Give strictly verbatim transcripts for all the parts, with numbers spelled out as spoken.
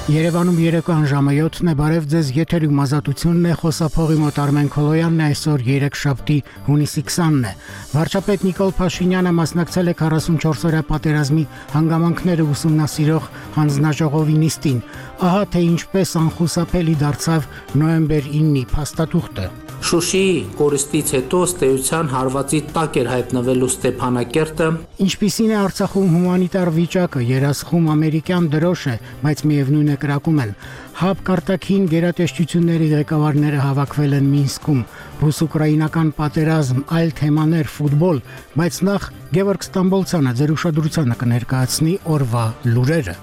Երևանում երեկոյան ժամը յոթն է, բարև ձեզ, եթերում ազատությունն է, խոսափողի մոտ Արմեն Քոլոյանն է, այսօր երեքշաբթի հունիսի քսանն է։ Վարչապետ Նիկոլ Փաշինյանը մասնակցել է քառասունչորս օրյա պատերազմի հանգամանքները ուսումնասիրող հանձնաժողովի նիստին։ Ահա թե ինչպես անխուսափելի դարձավ նոյեմբեր իննի փաստաթուղթը։ Շուշիի կորստից հետո ստեյության հարվածի տակ էր հայտնվելու Ստեփանակերտը։ Ինչպիսին է Արցախում հումանիտար վիճակը, երասխում ամերիկյան դրոշ է, բայց միևնույն է կրակում են։ Հապ կարտաքին գերատեսչությունների ղեկավարները հավաքվել են Մինսկում, ռուս-ուկրաինական պատերազմ, այլ թեմաներ, ֆուտբոլ, բայց նախ Գևորգ Ստամբոլցյանը ձեր ուշադրությանը կներկայացնի օրվա լուրերը։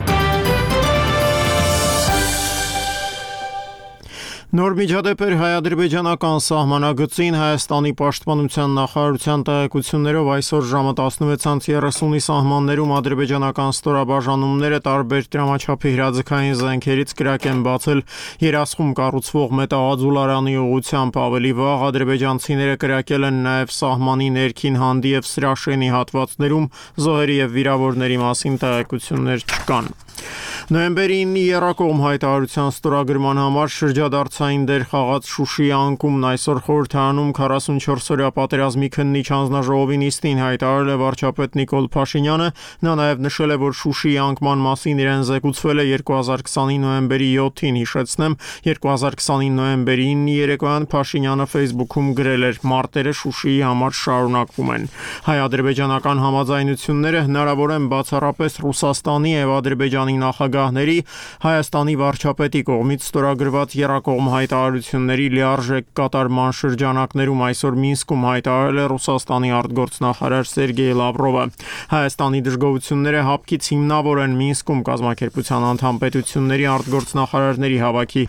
Նոր միջադեպ էր հայ-ադրբեջանական սահմանագծին Հայաստանի պաշտպանության նախարարության տեղեկություններով այսօր ժամը տասնվեցից երեսունի սահմաններում ադրբեջանական ստորաբաժանումները տարբեր դրամաչափի հրաձգային զենքերից կրակ են բացել երասխում կառուցվող մետաղաձուլարանի ուղղությամբ, ավելի վաղ ադրբեջանցիները կրակել են նաև սահմանի ներքին հանդի և Սրաշենի հատվածներում, զոհերի և վիրավորների մասին տեղեկություններ չկան։ Նոյեմբերի իննի եռակողմ հայտարարության ստորագրման համար շրջադարձային դեր խաղաց Շուշիի անկումն այսօր խորհրդարանում քառասունչորս օրյա պատերազմի քննիչ հանձնաժողովի նիստին հայտարարել է վարչապետ Նիկոլ Փաշինյանը։ Նա նաև նշել է, որ Շուշիի անկման մասին իրեն զեկուցվել է երկու հազար քսանի նոյեմբերի յոթին, հիշեցնեմ, երկու հազար քսանի նոյեմբերի իննի երեկոյան Փաշինյանը Facebook-ում գրել էր. «Մարտերը Շուշիի համար շարունակվում են»։ Հայ-ադրբեջանական համաձայնությունները հնարավոր են բացառապես Ռուսաստանի և Ադրբեջանի նախագահների, Հայաստանի վարչապետի կողմից ստորագրված եռակողմ հայտարարությունների լիարժեք կատարման շրջանակներում, այսօր Մինսկում հայտարարել է Ռուսաստանի արտգործնախարար Սերգեյ Լավրովը։ Հայաստանի դժգոհությունները հապկից հիմնավոր են Մինսկում կազմակերպության անդամ պետությունների արտգործնախարարների հավաքի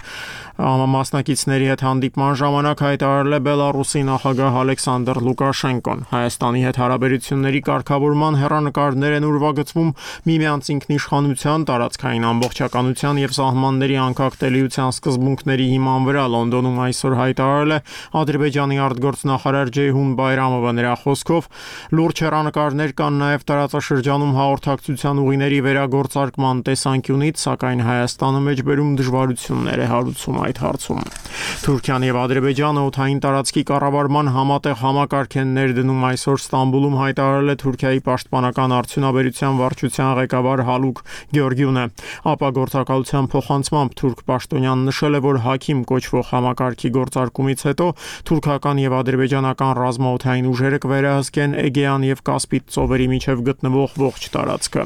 մասնակիցների հետ հանդիպման ժամանակ հայտարարել է Բելառուսի նախագահ Ալեքսանդր Լուկաշենկոն։ Հայաստանի հետ հարաբերությունների կարգավորման հեռանկարներ են ուրվագծվում միմյանց ինքնիշխանության, տարածքային ամբողջականության և սահմանների անկախտելիության սկզբունքների հիման վրա, Լոնդոնում այսօր հայտարարել է Ադրբեջանի արտգործնախարար Ջեյհուն Բայրամովը։ Նրա խոսքով լուրջ հեռանկարներ կան նաև տարածաշրջանում հաղորդակցության ուղիների վերագործարկման տեսանկյունից, սակայն Հայաստանը մեջբերում դժվարություններ է հարուցում այդ հարցում։ Թուրքիան և Ադրբեջանը օդային տարածքի կառավարման համատեղ համակարգ են ներդնում, այսօր Ստամբուլում հայտարարել է Թուրքիայի պաշտպանական արդյունաբերության վարչության ղեկավար Հալուկ Գյորգյունը։ Ապագործակալության փոխանցմամբ թուրք պաշտոնյան նշել է, որ Հաքիմ կոչվող համակարգի գործարկումից հետո թուրքական և ադրբեջանական ռազմաօդային ուժերը կվերահսկեն Էգեան և Կասպից ծովերի միջև գտնվող ողջ տարածքը։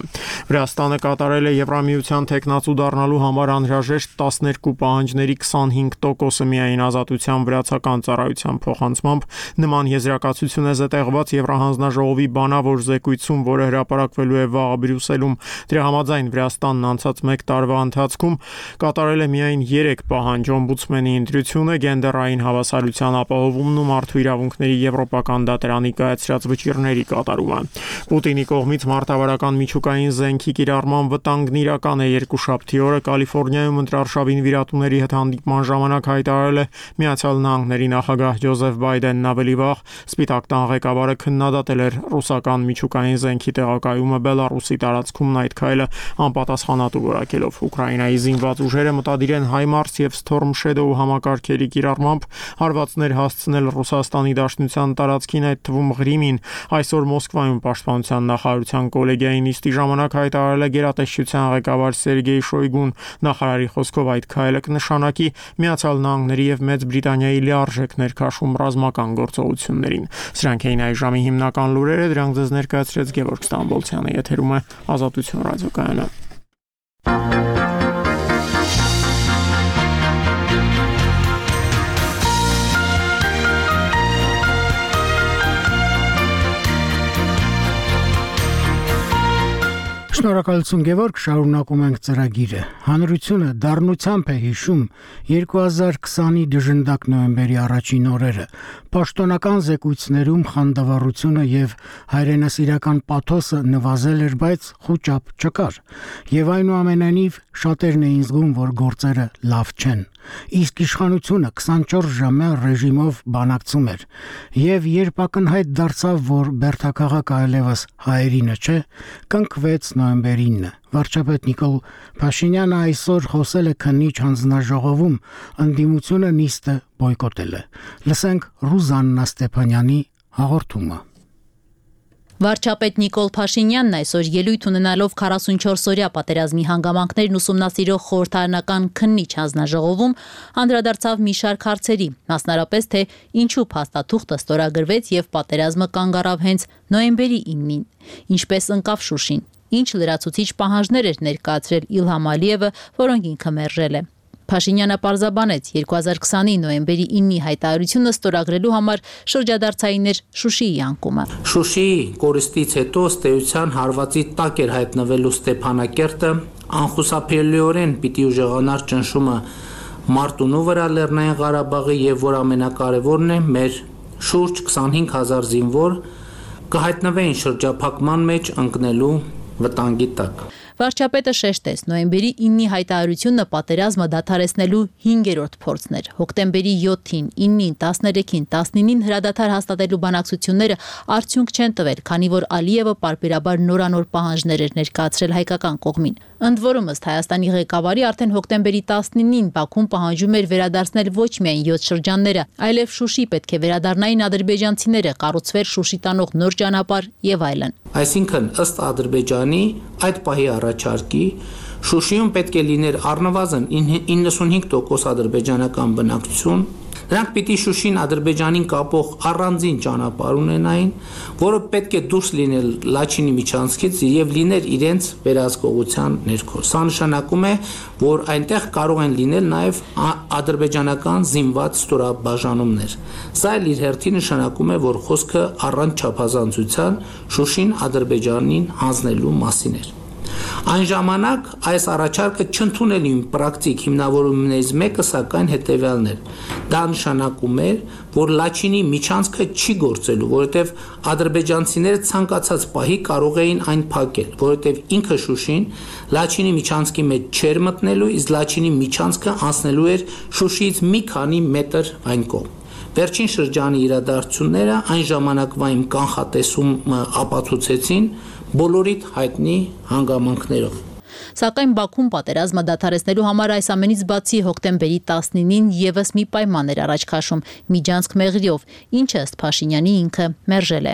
Վրաստանը կատարել է Եվրամիության թեկնածու դառնալու համար անհրաժեշտ տասներկու պահանջների քսանհինգ տոկոսը միայն Ազատության վրացական ծառայության փոխանցմամբ նման եզրակացություն է զետեղված Եվրահանձնաժողովի բանավոր զեկույցում, որը հրապարակվելու է վաղը Բրյուսելում։ Դրա համաձայն Վրաստանն անցած մեկ տարվա ընթացքում կատարել է միայն երեք պահանջ՝ օմբուդսմենի ընտրությունը, գենդերային հավասարության ապահովումն ու մարդու իրավունքների եվրոպական դատարանի կայացրած վճիռների կատարումը։ Պուտինի կողմից մարտավարական միջուկային զենքի կիրառման վտանգն իրական է։ Երկուշաբթի օրը Կալիֆոռնիայում ընտրարշավին վիրատուների հետ հանդիպման ժամանակ հայտարարել է Միացյալ Նահանգների նախագահ Ջոզեֆ Բայդենն ավելի վաղ Սպիտակ տան ղեկավարը քննադատել էր ռուսական միջուկային զենքի տեղակայումը Բելառուսի տարածքումն այդ քայլը անպատասխանատու որակելով։ Ուկրաինայի զինված ուժերը մտադիր են HIMARS և Storm Shadow համակարգերի կիրառմամբ հարվածներ հասցնել Ռուսաստանի Դաշնության տարածքին, այդ թվում Ղրիմին։ Այսօր Մոսկվայում պաշտպանության նախարարության կոլեգիայի նիստի ժամանակ հայտարարել է գերատեսչության ղեկավար Սերգեյ Շոյգուն։ Նախարարի խոսքով այդ քայլը կնշանակի Միացյալ Նահանգների և Մեծ Բրիտանիայի լիարժեք ներքաշում ռազմական գործողություններին։ Սրանք էին այս ժամի հիմնական լուրերը, դրանք ձեզ ներկայացրեց Գևորգ Ստամբոլցյանը, եթերում է Ազատություն ռադիոկայանը։ Շնորհակալություն Գևորգ, շարունակում ենք ծրագիրը։ Հանրությունը դառնությամբ է հիշում երկու հազար քսանի դժնդակ նոյեմբերի առաջին օրերը։ Պաշտոնական զեկույցներում խանդավառությունը եւ հայրենասիրական պաթոսը նվազել էր, բայց խոճապ չկար։ Եվ այնուամենայնիվ շատերն էին զգում, որ գործերը լավ չեն։ Իսկ իշխանությունը քսանչորս ժամյա ռեժիմով բանակցում էր։ Եվ երբ ակնհայտ դարձավ, որ բերդաքաղաքը այլևս հայերինը չէ, կնքվեց նոյեմբերինը։ Վարչապետ Նիկոլ Փաշինյանը այսօր խոսել է քննիչ հանձնաժողովում, ընդդիմությունը նիստը բոյկոտել է։ Լսենք Ռուզաննա Ստեփանյանի հաղորդումը։ Վարչապետ Նիկոլ Փաշինյանն այսօր ելույթ ունենալով քառասունչորս-օրյա պատերազմի հանգամանքներն ուսումնասիրող խորհրդարանական քննիչ հանձնաժողովում անդրադարձավ մի շարք հարցերի, մասնարապես թե ինչու փաստաթուղթը ստորագրվեց եւ պատերազմը կանգ առավ հենց նոյեմբերի իննին, ինչպես ընկավ Շուշին, ինչ լրացուցիչ պահանջներ էր ներկայացրել Իլհամ Ալիևը, որոնք ինքը մերժել է։ Փաշինյանը պարզաբանեց երկու հազար քսանի նոյեմբերի իննի հայտարարությունը ստորագրելու համար շրջադարձային էր Շուշիի անկումը։ Շուշիի կորստից հետո ըստ էության հարվածի տակ էր հայտնվելու Ստեփանակերտը, անխուսափելիորեն պիտի ուժեղանար ճնշումը Մարտունու վրա Լեռնային Ղարաբաղի եւ որ ամենակարևորն է մեր շուրջ քսանհինգ հազար զինվոր կհայտնվեին շրջափակման մեջ ընկնելու վտանգի տակ։ Վարչապետը շեշտեց, նոյեմբերի իննի հայտարարությունը պատերազմը դադարեցնելու հինգերորդ փորձն էր։ Հոկտեմբերի յոթին, իննին, տասներեքին, տասնինին հրադադար հաստատելու բանակցությունները արդյունք չեն տվել, քանի որ Ալիևը պարբերաբար նորանոր պահանջներ էր ներկայացրել հայկական կողմին։ Ընդ որում, ըստ Հայաստանի ղեկավարի, արդեն հոկտեմբերի տասնինին Բաքուն պահանջում էր վերադարձնել ոչ միայն յոթ շրջանները, այլև Շուշի պետք է վերադառնային ադրբեջանցիները, կառուցվեր Շուշի տանող նոր ճանապարհ եւ այլն։ Այսինքն, ըստ Ադրբեջանի այդ պահի առաջարկի Շուշիում պետք է լիներ առնվազն իննսունհինգ տոկոս ադրբեջանական բնակչություն, նրանք պիտի Շուշին Ադրբեջանին կապող առանձին ճանապարհ ունենային, որը պետք է դուրս լինել Լաչինի միջանցքից եւ լիներ իրենց վերահսկողության ներքո։ Սա նշանակում է, որ այնտեղ կարող են լինել նաեւ ադրբեջանական զինված ստորաբաժանումներ։ Սա էլ իր հերթին նշանակում է, որ խոսքը առանց չափազանցության Շուշին Ադրբեջանին հանձնելու մասին էր։ Այն ժամանակ այս առաջարկը չընդունելի պրակտիկ հիմնավորումներից մեկը սակայն հետևյալն էր։ Դա նշանակում էր, որ Լաչինի միջանցքը չի գործելու, որովհետև ադրբեջանցիները ցանկացած պահի կարող էին այն փակել, որովհետև ինքը Շուշին Լաչինի միջանցքի մեջ չէր մտնելու, իսկ Լաչինի միջանցքը անցնելու էր Շուշիից մի քանի մետր այն կողմ։ Վերջին շրջանի իրադարձությունները այն ժամանակվա իմ կանխատեսումը ապացուցեցին բոլորիդ հայտնի հանգամանքներով։ Սակայն Բաքուն պատերազմը դադարեցնելու համար այս ամենից բացի հոկտեմբերի տասնինին եւս մի պայման էր առաջ քաշում՝ միջանցք մեղրիով, ինչը ըստ Փաշինյանի ինքը մերժել է։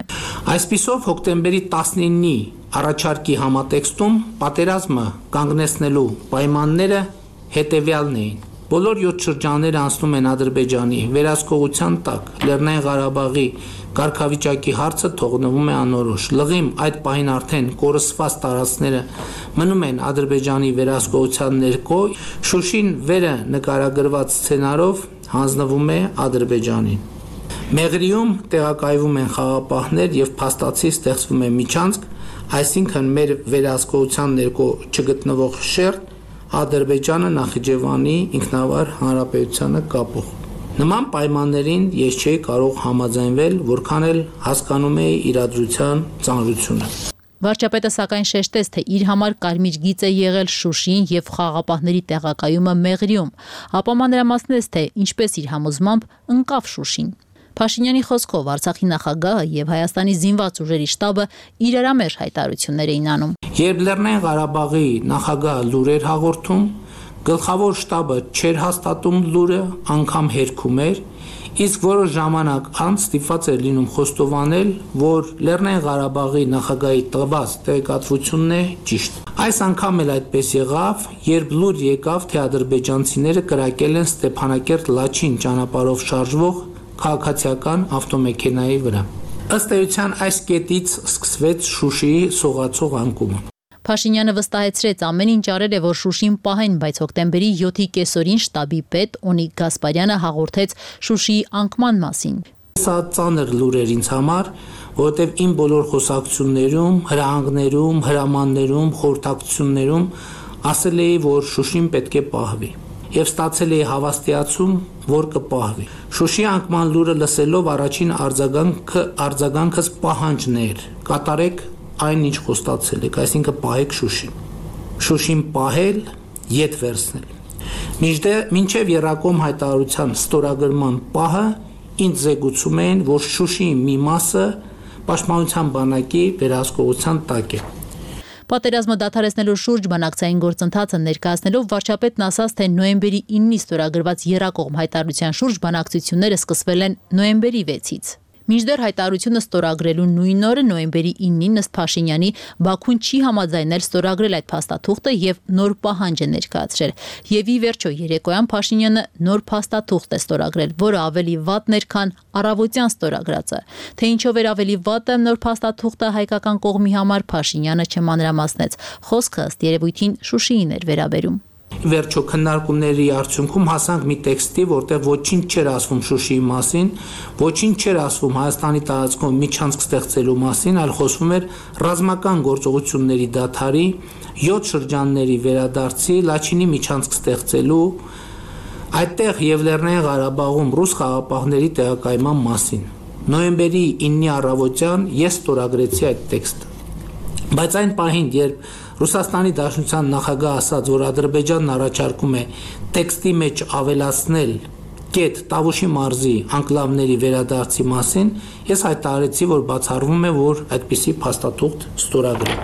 Այսպիսով հոկտեմբերի տասնինի առաջարկի համատեքստում պատերազմը կանգնեցնելու պայմանները հետևյալն էին։ Բոլոր յոթ շրջանները անցնում են Ադրբեջանի վերահսկողության տակ, Լեռնային Ղարաբաղի կարգավիճակի հարցը թողնվում է անորոշ։ Լղիմ այդ պահին արդեն կորսված տարածքները մնում են Ադրբեջանի վերահսկողության ներքո, Շուշին վերը նկարագրված սցենարով հանձնվում է Ադրբեջանին։ Մեղրիում տեղակայվում են խաղապահներ եւ փաստացի ստեղծվում է միջանցք, այսինքն մեր վերահսկողության ներքո չգտնվող շերտ Ադրբեջանը Նախիջևանի ինքնավար հանրապետությանը կապող։ Նման պայմաններին ես չէի կարող համաձայնվել, որքան էլ հասկանում էի իրադրության ծանրությունը։ Վարչապետը սակայն շեշտեց, թե իր համար կարմիր գիծ է եղել Շուշին եւ խաղապահների տեղակայումը Մեղրիում, ապա մանրամասնեց, թե ինչպես իր համոզմամբ ընկավ Շուշին։ Փաշինյանի խոսքով Արցախի նախագահը եւ Հայաստանի զինված ուժերի շտաբը իրարամերժ հայտարարություններ էին անում։ Երբ Լեռնային Ղարաբաղի նախագահը լուրեր հաղորդում, գլխավոր շտաբը չէր հաստատում լուրը, անգամ հերքում էր, իսկ որոշ ժամանակ անց ստիպված էր լինում խոստովանել, որ Լեռնային Ղարաբաղի նախագահի տված տեղեկատվությունն է ճիշտ։ Այս անգամ էլ այդպես եղավ, երբ լուր եկավ, թե ադրբեջանցիները կրակել են Ստեփանակերտ-Լաչին ճանապարհով շարժվող քաղաքացիական ավտոմեքենայի վրա։ Ըստ էության այս կետից սկսվեց Շուշիի սողացող անկումը։ Փաշինյանը վստահեցրեց ամեն ինչ արել է, որ Շուշին պահեն, բայց հոկտեմբերի յոթի կեսօրին շտաբի պետ Օնիկ Գասպարյանը հաղորդեց Շուշիի անկման մասին։ Սա ծանր լուր էր ինձ համար, որովհետև իմ բոլոր խոսակցություններում, հրահանգներում, հրամաններում, խորհրդակցություններում ասել էի, որ Շուշին պետք է պահվի։ Եվ ստացել էի հավաստիացում, որ կպահվի։ Շուշի անկման լուրը լսելով առաջին արձագանքը արձագանքս պահանջն էր։ Կատարեք այն, ինչ խոստացել եք, այսինքն պահեք Շուշին։ Շուշին պահել ետ վերցնել։ Մինչև Երակոմ հայտարարության ստորագրման պահը ինձ զեկուցում էին, որ Շուշիի մի մասը Պաշտպանության բանակի վերահսկողության տակ է։ Պատերազմը դադարեցնելու շուրջ բանակցային գործընթացը ներկայացնելով վարչապետն ասաց, թե նոյեմբերի իննի ստորագրված Երակողմ հայտարարության շուրջ բանակցությունները սկսվել են նոյեմբերի վեցից։ Մինչդեռ հայտարարությունը ստորագրելու նույն օրը նոյեմբերի իննին ըստ Փաշինյանի Բաքուն չի համաձայնել ստորագրել այդ փաստաթուղթը եւ նոր պահանջ է ներկայացրել։ Եվ ի վերջո երեկոյան Փաշինյանը նոր փաստաթուղթ է ստորագրել, որը ավելի վատն էր, քան առավոտյան ստորագրածը։ Թե ինչով էր ավելի վատը նոր փաստաթուղթը հայկական կողմի համար Փաշինյանը չմանրամասնեց։ Խոսքը ըստ երևույթին Շուշիին էր վերաբերում։ Վերջո քննարկումների արդյունքում հասանք մի տեքստի, որտեղ ոչինչ չէր ասվում Շուշիի մասին, ոչինչ չէր ասվում Հայաստանի տարածքում միջանցք ստեղծելու մասին, այլ խոսվում էր ռազմական գործողությունների դադարի, յոթ շրջանների վերադարձի, Լաչինի միջանցք ստեղծելու, այդտեղ եւ Լեռնային Ղարաբաղում ռուս խաղապահների տեղակայման մասին։ Նոյեմբերի իննի առավոտյան ես ստորագրեցի այդ տեքստը։ Բայց այն պահին, երբ Ռուսաստանի Դաշնության նախագահ ասաց, որ Ադրբեջանն առաջարկում է տեքստի մեջ ավելացնել կետ Տավուշի մարզի անկլավների վերադարձի մասին, ես հայտարարեցի, որ բացառվում է, որ այդպիսի փաստաթուղթ ստորագրեմ։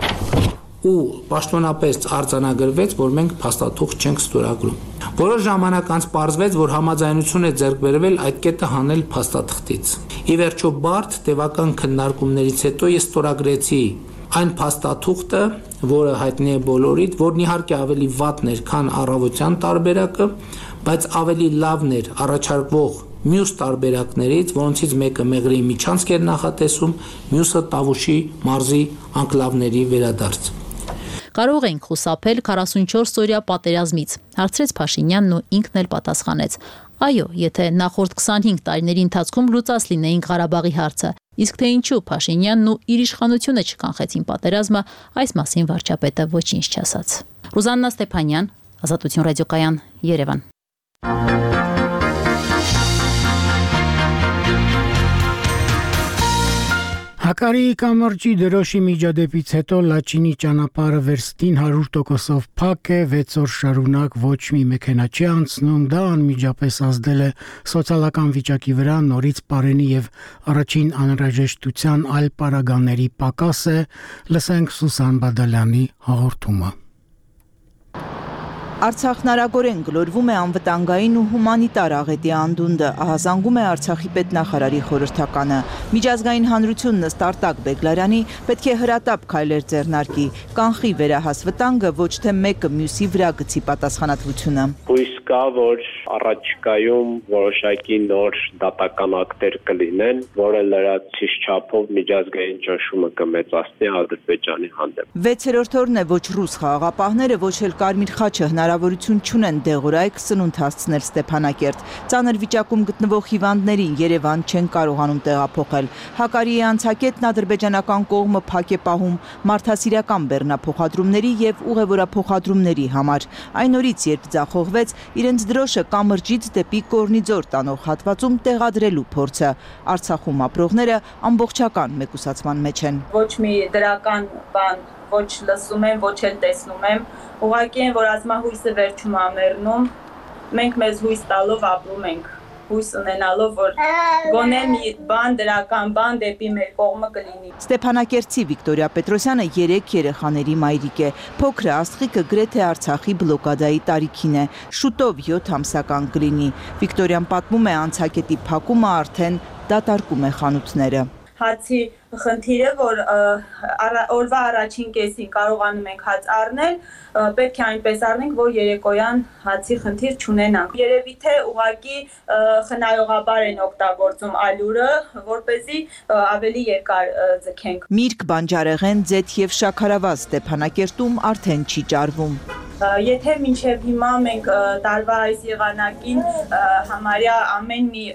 Ու պաշտոնապես արձանագրվեց, որ մենք փաստաթուղթ չենք ստորագրում։ Որոշ ժամանակ անց պարզվեց, որ համաձայնություն է ձեռք բերվել այդ կետը հանել փաստաթղթից։ Ի վերջո բարդ տևական քննարկումներից հետո ես ստորագրեցի այն փաստաթուղթը, որը հայտնի է բոլորիդ, որն իհարկե ավելի վատն էր, քան առավոտյան տարբերակը, բայց ավելի լավն էր առաջարկվող մյուս տարբերակներից, որոնցից մեկը Մեղրիի միջանցք էր նախատեսում, մյուսը Տավուշի մարզի անկլավների վերադարձ։ Կարող ենք խուսափել քառասունչորս օրյա պատերազմից, հարցրեց Փաշինյանն ու ինքն էլ պատասխանեց. Այո, եթե նախորդ քսանհինգ տարիների ընթացքում լուծած լինեին Ղարաբաղի հարցը, իսկ թե ինչու Փաշինյանն ու իր իշխանությունը չկանխեցին պատերազմը, այս մասին վարչապետը ոչինչ չասաց։ Ռուզաննա Ստեփանյան, Ազատություն ռադիոկայան, Երևան։ Հակարիի կամրջի դրոշի միջադեպից հետո Լաչինի ճանապարհը վերստին հարյուր տոկոսով փակ է, վեց օր շարունակ ոչ մի մեքենա չի անցնում, դա անմիջապես ազդել է սոցիալական վիճակի վրա, նորից Պարենի եւ առաջին անհրաժեշտության այլ պարագաների պակաս է, լսենք Սուսան Բադալյանի հաղորդումը։ Արցախն արագորեն գլորվում է անվտանգային ու հումանիտար աղետի անդունդը, ահազանգում է Արցախի պետնախարարի խորհրդականը։ Միջազգային հանրությունն ըստ Արտակ Բեգլարյանի պետք է հրատապ քայլեր ձեռնարկի, կանխի վերահաս վտանգը, ոչ թե մեկը մյուսի վրա գցի պատասխանատվությունը։ Հույս կա, որ առաջիկայում որոշակի նոր դատական ակտեր կլինեն, որը լրացուցիչ չափով միջազգային ճնշումը կմեծացնի Ադրբեջանի հանդեպ։ Վեցերորդ օրն է ոչ ռուս խաղաղապահները, ոչ էլ Կարմիր խաչը հնարավորություն չունեն դեղորայք սնունդ հասցնել Ստեփանակերտ։ Ծանր վիճակում գտնվող հիվանդներին Երևան չեն կարողանում տեղափոխել։ Հակարիի անցակետն ադրբեջանական կողմը փակ է պահում մարդասիրական բեռնափոխադրումների եւ ուղևորափոխադրումների համար։ Այն օրից, երբ ձախողվեց իրենց դրոշը կամրջից դեպի Կորնիձոր տանող հատվածում տեղադրելու փորձը, Արցախում ապրողները ամբողջական մեկուսացման մեջ են։ Ոչ մի դրական բան ոչ լսում եմ, ոչ էլ տեսնում եմ, ուղղակի են, որ ազգահույսը վերջում ամեռնում, մենք մեզ հույս տալով ապրում ենք, հույս ունենալով, որ գոնե մի բան, դրական բան դեպի մեր կողմը կլինի։ Ստեփանակերտցի Վիկտորիա Պետրոսյանը երեք երեխաների մայրիկ է, փոքրը Աստղիկը գրեթե Արցախի բլոկադայի տարիքին է, շուտով յոթ ամսական կլինի։ Վիկտորիան պատմում է անցակետի փակումը արդեն դատարկում է խանութները։ Հացի խնդիրը, որ օրվա առաջին կեսին կարողանում ենք հաց առնել, պետք է այնպես առնենք, որ երեկոյան հացի խնդիր չունենանք։ Երևի թե ուղղակի խնայողաբար են օգտագործում ալյուրը, որպեսզի ավելի երկար ձգենք։ Միրգ, բանջարեղեն, ձեթ եւ շաքարավազ Ստեփանակերտում արդեն չի ճարվում։ Եթե մինչև հիմա մենք տարվա այս եղանակին համարյա ամեն մի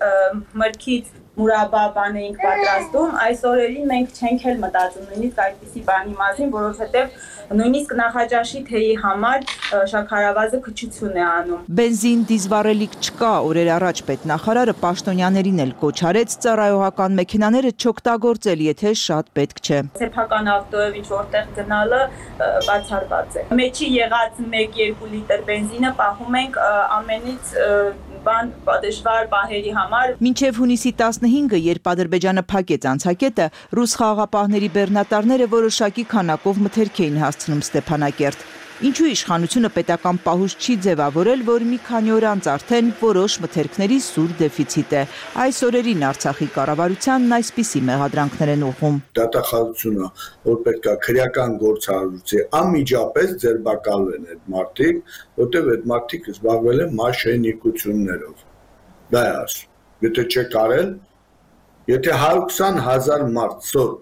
մրգից մուրաբա բան էինք պատրաստում, այս օրերին մենք չենք էլ մտածում նույնիսկ այդպիսի բանի մասին, որովհետև նույնիսկ նախաճաշի թեյի համար շաքարավազը քչություն է անում։ Բենզին, դիզվառելիք չկա, օրեր առաջ պետնախարարը պաշտոնյաներին էլ կոչ արեց ծառայողական մեքենաները չօգտագործել, եթե շատ պետք չէ։ Սեփական ավտոյով ինչ որտեղ գնալը բացառված է։ Մեջի եղած մեկ-երկու լիտր բենզինը պահում ենք ամենից բան դժվար պահերի համար։ Մինչև հունիսի տասնհինգը, երբ Ադրբեջանը փակեց անցակետը, ռուս խաղաղապահների բեռնատարները որոշակի քանակով մթերք էին հասցնում Ստեփանակերտ։ Ինչու իշխանությունը պետական պահուց չի ձևավորել, որ մի քանի օր անց արդեն որոշ մթերքների սուր դեֆիցիտ է։ Այս օրերին Արցախի կառավարությանն այսպիսի մեղադրանքներ են ուղղում։ Դատախազությունը, որ պետք է քրեական գործառույթի անմիջապես ձերբակալվեն այդ մարդիկ, որտեղ այդ մարդիկ զբաղվել են մաշենիկություններով։ Դա է ասում։ Եթե չեք արել, եթե հարյուր քսան հազար մարդ սոր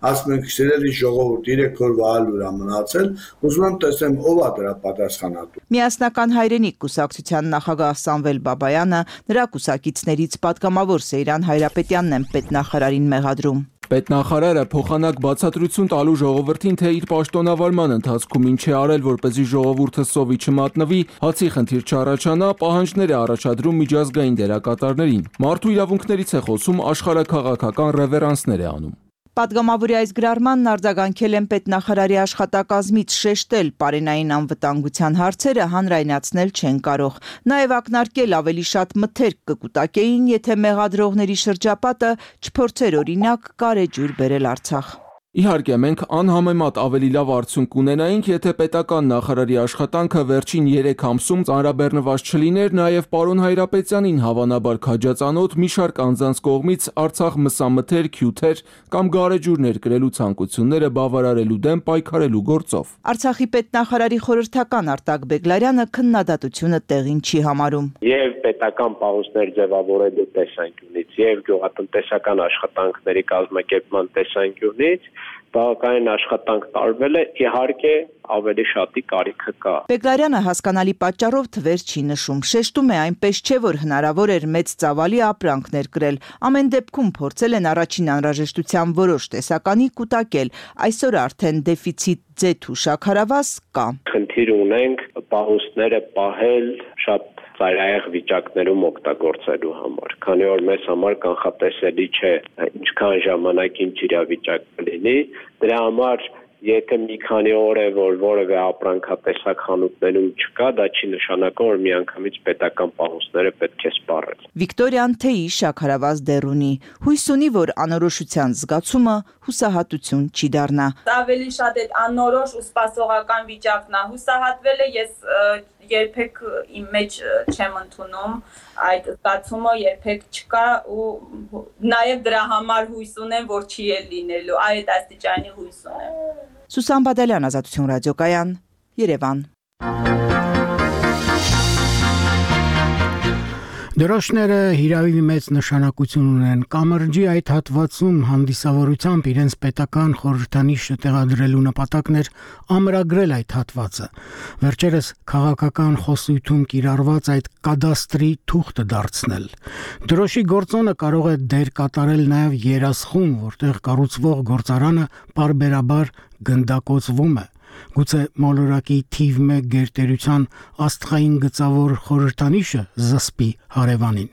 ասում ենք սիրելի ժողովուրդ երեք օր վահալուր է մնացել, ուզում եմ տեսնեմ ով է դրա պատասխանատու։ Միասնական հայրենիք կուսակցության նախագահ Սամվել Բաբայանը, նրա կուսակիցներից պատգամավոր Սեյրան Հայրապետյանն են պետնախարարին մեղադրում։ Պետնախարարը փոխանակ բացատրություն տալու ժողովրդին, թե իր պաշտոնավարման ընթացքում ինչ է արել, որպեսզի ժողովուրդը սովի չմատնվի, հացի խնդիր չառաջանա, պահանջներ է առաջադրում միջազգային դերակատարներին։ Մարդու իրավունքներից է խոսում, աշխարհաքաղաքական ռևերանսներ է անում։ Պատգամավորի այս գրառմանն արձագանքել են պետնախարարի աշխատակազմից, շեշտել պարենային անվտանգության հարցերը հանրայնացնել չեն կարող։ Նաև ակնարկել ավելի շատ մթերք կկուտակեին, եթե մեղադրողների շրջապատը չփորձեր օրինակ կարեջուր բերել Արցախ։ Իհարկե, մենք անհամեմատ ավելի լավ արդյունք կունենայինք, եթե պետական նախարարի աշխատանքը վերջին երեք ամսում ծանրաբեռնված չլիներ, նաև պարոն Հայրապետյանին հավանաբար քաջածանոթ մի շարք անձանց կողմից Արցախ մսամթերք, հյութեր կամ գարեջուրներ կրելու ցանկությունները բավարարելու դեմ պայքարելու գործով։ Արցախի պետնախարարի խորհրդական Արտակ Բեգլարյանը քննադատությունը տեղին չի համարում։ Եվ պետական պահուստներ ձևավորելու տեսանկյունից, եւ գյուղատնտեսական աշխատանքների կազմակերպման տեսանկյունից բավականին աշխատանք տարվել է, իհարկե ավելի շատի կարիքը կա։ Բեգլարյանը հասկանալի պատճառով թվեր չի նշում, շեշտում է այնպես չէ, որ հնարավոր էր մեծ ծավալի ապրանքներ կրել։ Ամեն դեպքում փորձել են առաջին անհրաժեշտության որոշ տեսականի կուտակել, այսօր արդեն դեֆիցիտ ձեթ ու շաքարավազ կա։ Խնդիր ունենք պահուստները պահել շատ ծայրահեղ վիճակներում օգտագործելու համար, քանի որ մեզ համար կանխատեսելի չէ ինչքան ժամանակ ինչ իրավիճակ կլինի, դրա համար եթե մի քանի օր է, որ որևէ ապրանքատեսակ խանութներում չկա, դա չի նշանակում, որ միանգամից պետական պահուստները պետք է սպառել։ Վիկտորիան թեյի շաքարավազ դեռ ունի, հույս ունի, որ անորոշության զգացումը հուսահատություն չի դառնա։ Ավելի շատ այդ անորոշ ու սպասողական վիճակն է, հուսահատվելը ես երբեք իմ մեջ չեմ ընդունում, այդ զգացումը երբեք չկա ու նաև դրա համար հույս ունեմ, որ չի էլ լինելու, այդ աստիճանի հույս ունեմ։ Սուսան Բադալյան, Ազատություն ռադիոկայան, Երևան։ Դրոշները հիրավի մեծ նշանակություն ունեն։ Կամրջի այդ հատվածում հանդիսավորությամբ իրենց պետական խորհրդանիշը տեղադրելու նպատակն էր ամրագրել այդ հատվածը։ Վերջերս քաղաքական խոսույթում կիրառված այդ կադաստրի թուղթը դարձնել։ Դրոշի գործոնը կարող է դեր կատարել նաև երասխում, որտեղ կառուցվող գործարանը պարբերաբար գնդակոծվում է։ Գուցե մոլորակի թիվ մեկ գերտերության աստղային գծավոր խորհրդանիշը զսպի հարևանին։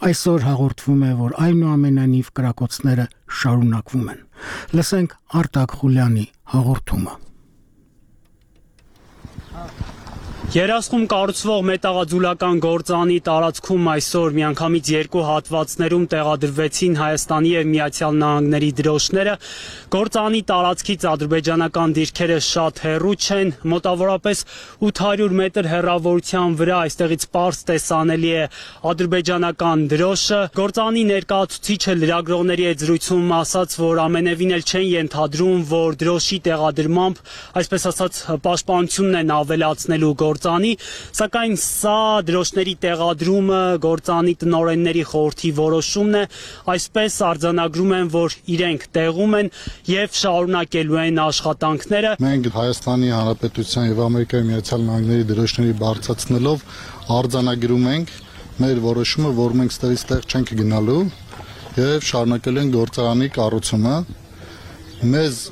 Այսօր հաղորդվում է, որ այնուամենայնիվ կրակոցները շարունակվում են։ Լսենք Արտակ Խուլյանի հաղորդումը։ Երասխում կառուցվող մետաղաձուլական գործարանի տարածքում այսօր միանգամից երկու հատվածներում տեղադրվեցին Հայաստանի եւ Միացյալ Նահանգների դրոշները։ Գործարանի տարածքից ադրբեջանական դիրքերը շատ հեռու չեն, մոտավորապես ութ հարյուր մետր հեռավորության վրա այստեղից պարզ տեսանելի է ադրբեջանական դրոշը։ Գործարանի ներկայացուցիչը լրագրողների հետ զրույցում ասաց, որ ամենևին էլ չեն ենթադրում, որ դրոշի տեղադրմամբ, այսպես ասած, պաշտպանությունն են ավելացնելու գործանի, սակայն սա դրոշների տեղադրումը գործանի տնօրենների խորհրդի որոշումն է, այսպես արձանագրում են, որ իրենք տեղում են եւ շարունակելու են աշխատանքները։ Մենք Հայաստանի Հանրապետության եւ Ամերիկայի Միացյալ Նահանգների դրոշների բարձրացնելով արձանագրում ենք մեր որոշումը, որ մենք ստեղից տեղ չենք գնալու եւ շարունակելու ենք գործարանի կառուցումը։ Մեզ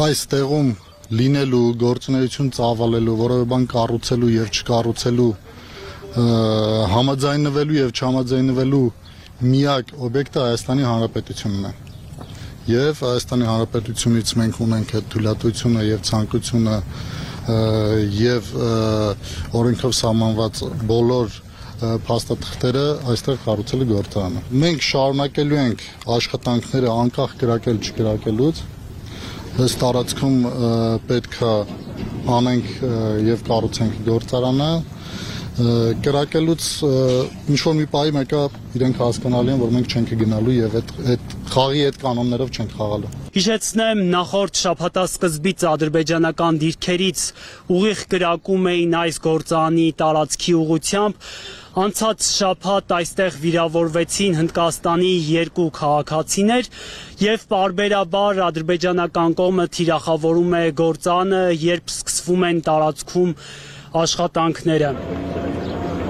այս տեղում լինելու, գործունեություն ծավալելու, որևէ բան կառուցելու եւ չկառուցելու, համաձայնվելու եւ չհամաձայնվելու միակ օբյեկտը Հայաստանի Հանրապետությունն է։ Եվ Հայաստանի Հանրապետությունից մենք ունենք այդ թույլատվությունը եւ ցանկությունը եւ օրենքով սահմանված բոլոր փաստաթղթերը այստեղ կառուցելու գործարանը։ Մենք շարունակելու ենք աշխատանքները անկախ գրակել չգրակելուց։ Այս տարածքում պետք է անենք եւ կառուցենք գործարանը։ Կրակելուց ինչ որ մի պահի մեկը իրենք հասկանալի են, որ մենք չենք գնալու եւ այդ այդ խաղի այդ կանոններով չենք խաղալու։ Հիշեցնեմ, նախորդ շաբաթասկզբից ադրբեջանական դիրքերից ուղիղ կրակում էին այս գործարանի տարածքի ուղղությամբ։ Անցած շաբաթ այստեղ վիրավորվեցին Հնդկաստանի երկու քաղաքացիներ եւ պարբերաբար ադրբեջանական կողմը թիրախավորում է գործարանը, երբ սկսվում են տարածքում աշխատանքները։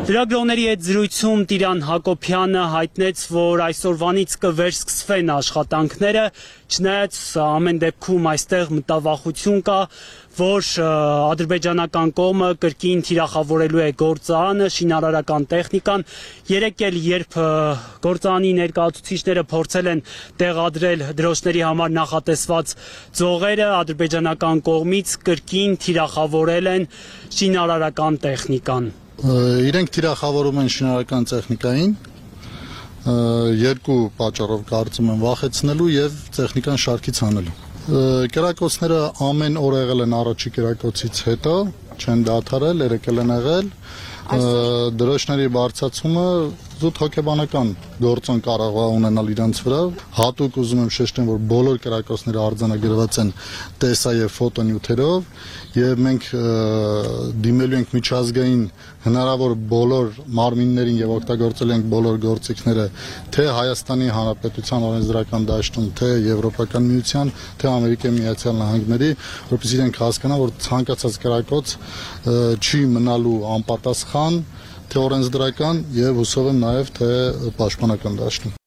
Լրագրողների հետ զրույցում Տիրան Հակոբյանը հայտնեց, որ այսօրվանից կվերսկսվեն աշխատանքները, չնայած ամեն դեպքում այստեղ մտավախություն կա, որ ադրբեջանական կողմը կրկին թիրախավորելու է գործարանը, շինարարական տեխնիկան։ Երեկ էլ երբ գործարանի ներկայացուցիչները փորձել են տեղադրել դրոշների համար նախատեսված ձողերը, ադրբեջանական կողմից կրկին թիրախավորել են շինարարական տեխնիկան։ Իրենք թիրախավորում են շինարարական տեխնիկային երկու պատճառով կարծում եմ վախեցնելու եւ տեխնիկան շարքից հանելու։ Կերակոցները ամեն օր եղել են առաջի կերակոցից հետո, չեն դադարել, երեկել են եղել։ Դրոշների բարձրացումը զուտ հոգեբանական գործոն կարող է ունենալ իրենց վրա։ Հատուկ ուզում եմ շեշտեմ, որ բոլոր կերակոցները արձանագրված են տեսա եւ ֆոտոնյութերով եւ մենք դիմելու ենք միջազգային հնարավոր բոլոր մարմիններին եւ օգտագործել ենք բոլոր գործիքները թե Հայաստանի Հանրապետության օրենսդրական դաշտում, թե Եվրոպական միության, թե Ամերիկայի Միացյալ Նահանգների, որովհետեւ իրենք հասկանան, որ ցանկացած կերակոց չի մնալու անպատասխան թե օրենսդրական եւ հուսով եմ նաեւ թե պաշտպանական դաշտում։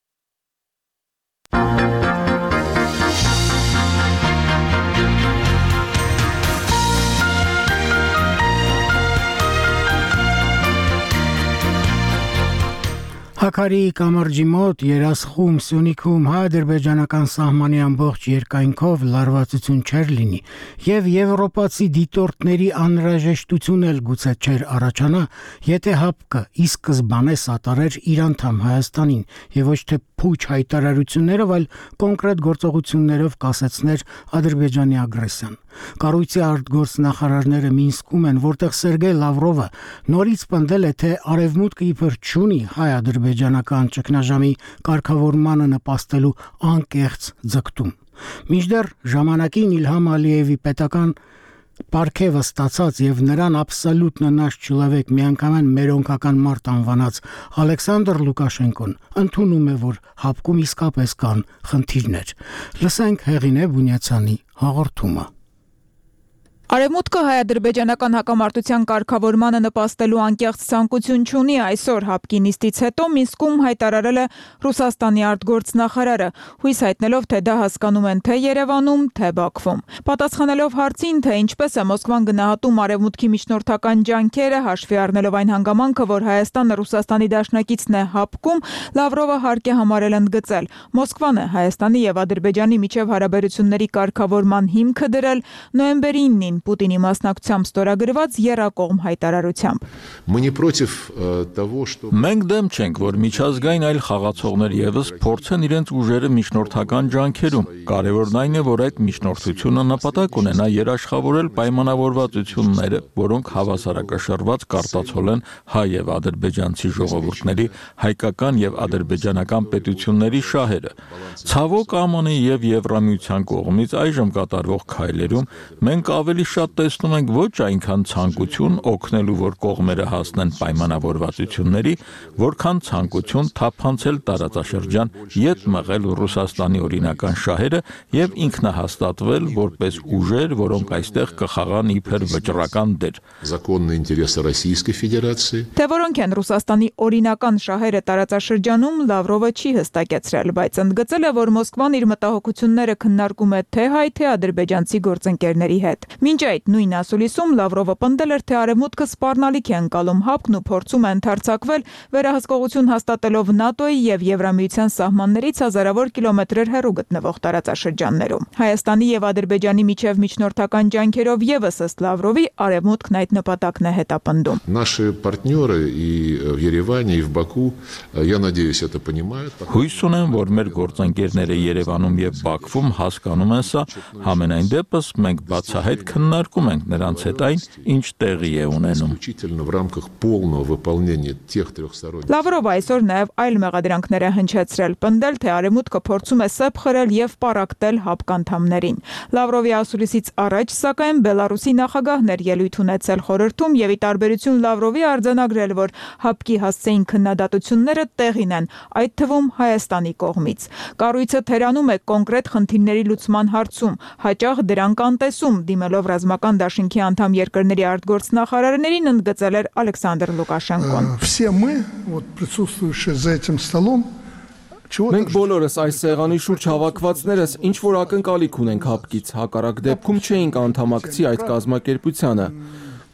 Հակարի կամրջի մոտ Երասխում, Սյունիքում հայ-ադրբեջանական սահմանի ամբողջ երկայնքով լարվածություն չէր լինի եւ եվրոպացի դիտորդների անհրաժեշտություն էլ գուցե չէր առաջանա, եթե ՀԱՊԿ ի սկզբանե սատարեր իր անդամ Հայաստանին եւ ոչ թե փուչ հայտարարություններով, այլ կոնկրետ գործողություններով կասեցներ Ադրբեջանի ագրեսիան։ Կառույցի արտգործնախարարները Մինսկում են, որտեղ Սերգեյ Լավրովը նորից պնդել է, թե արևմուտքը իբր չունի հայ-ադրբեջանական ճգնաժամի կարգավորմանը նպաստելու անկեղծ ձգտում։ Մինչդեռ ժամանակին Իլհամ Ալիևի պետական պարգևը ստացած եւ նրան աբսոլյուտ նշ չլավեք միանգամայն մերոնքական մարդ անվանած Ալեքսանդր Լուկաշենկոն ընդունում է, որ ՀԱՊԿ-ում իսկապես կան խնդիրներ։ Լսենք Հեղինե Բունյացյանի հաղորդումը։ Արևմուտքը հայ-ադրբեջանական հակամարտության կարգավորմանը նպաստելու անկեղծ ցանկություն չունի, այսօր ՀԱՊԿ-ի նիստից հետո Մինսկում հայտարարել է Ռուսաստանի արտգործնախարարը, հույս հայտնելով, թե դա հասկանում են թե Երևանում, թե Բաքվում։ Պատասխանելով հարցին, թե ինչպես է Մոսկվան գնահատում արևմուտքի միջնորդական ջանքերը, հաշվի առնելով այն հանգամանքը, որ Հայաստանը Ռուսաստանի դաշնակիցն է ՀԱՊԿ-ում, Լավրովը հարկ է համարել ընդգծել. Մոսկվան է Հայաստանի եւ Ադրբեջանի միջև հարաբերությունների կարգավորման հիմքը դրել նոյեմբերի ինին Պուտինի մասնակցությամբ ստորագրված եռակողմ հայտարարությամբ։ Մենք դեմ չենք, որ միջազգային այլ խաղացողներ եւս փորձեն իրենց ուժերը միջնորդական ջանքերում։ Կարևորն այն է, որ այդ միջնորդությունը նպատակ ունենա երաշխավորել պայմանավորվածությունները, որոնք հավասարակշռված կարտացոլ են հայ եւ ադրբեջանցի ժողովուրդների, հայկական եւ ադրբեջանական պետությունների շահերը։ Ցավոք ԱՄՆ-ի եւ Եվրամիության կողմից այժմ կատարվող քայլերում մենք ավելի ավելի շատ տեսնում ենք ոչ այնքան ցանկություն օգնելու, որ կողմերը հասնեն պայմանավորվածությունների, որքան ցանկություն թափանցել տարածաշրջան, ետ մղել Ռուսաստանի օրինական շահերը եւ ինքնահաստատվել որպես ուժեր, որոնք այստեղ կխաղան իբր վճռական դեր։ Законные интересы Российской Федерации. Թե որոնք են Ռուսաստանի օրինական շահերը տարածաշրջանում, Լավրովը չի հստակեցրել, բայց ընդգծել է, որ Մոսկվան իր մտահոգությունները քննարկում է թե հայ, թե ադրբեջանցի գործընկերների հետ։ Մինչ այդ նույն ասուլիսում Լավրովը պնդել էր, թե արևմուտքը սպառնալիք է ընկալում հապկն ու փորձում է ընդարձակվել, վերահսկողություն հաստատելով ՆԱՏՕ-ի եւ Եվրամիության սահմաններից հազարավոր կիլոմետրեր հեռու գտնվող տարածաշրջաններում։ Հայաստանի եւ Ադրբեջանի միջև միջնորդական ջանքերով եւս ըստ Լավրովի արևմուտքն այդ նպատակն է հետապնդում։ Наши партнеры и в Ереване, и в Баку, я надеюсь, это понимают. Հույս ունեմ, որ մեր գործընկերները Երևանում եւ Բաքվում հասկանում են սա, համենայն դեպս մենք բացահայտ քննարկում ենք նրանց հետ այն, ինչ տեղի է ունենում։ В рамках полного выполнения тех трехсторонних. Լավրովը այսօր նաեւ այլ մեղադրանքներ է հնչեցրել, պնդել, թե արևմուտքը փորձում է սեփ խրել եւ պարակտել հապկ անդամներին։ Լավրովի ասուլիսից առաջ, սակայն, Բելարուսի նախագահն էր ելույթ ունեցել խորհրդում եւ ի տարբերություն Լավրովի արձանագրել, որ հապկի հասցեին քննադատությունները տեղին են, այդ թվում Հայաստանի կողմից։ Կառույցը թերանում է կոնկրետ խնդիրների լուծման հարցում, հաճախ դրանք անտեսում, դիմելով ռազմական դաշինքի անդամ երկրների արտգործնախարարներին, ընդգծել էր Ալեքսանդր Լուկաշենկոն։ Все мы, вот присутствующие за этим столом, Մենք բոլորս այս սեղանի շուրջ հավաքվածներս ինչ որ ակնկալիք ունենք հապկից, հակառակ դեպքում չէինք անդամակցի այդ կազմակերպությանը։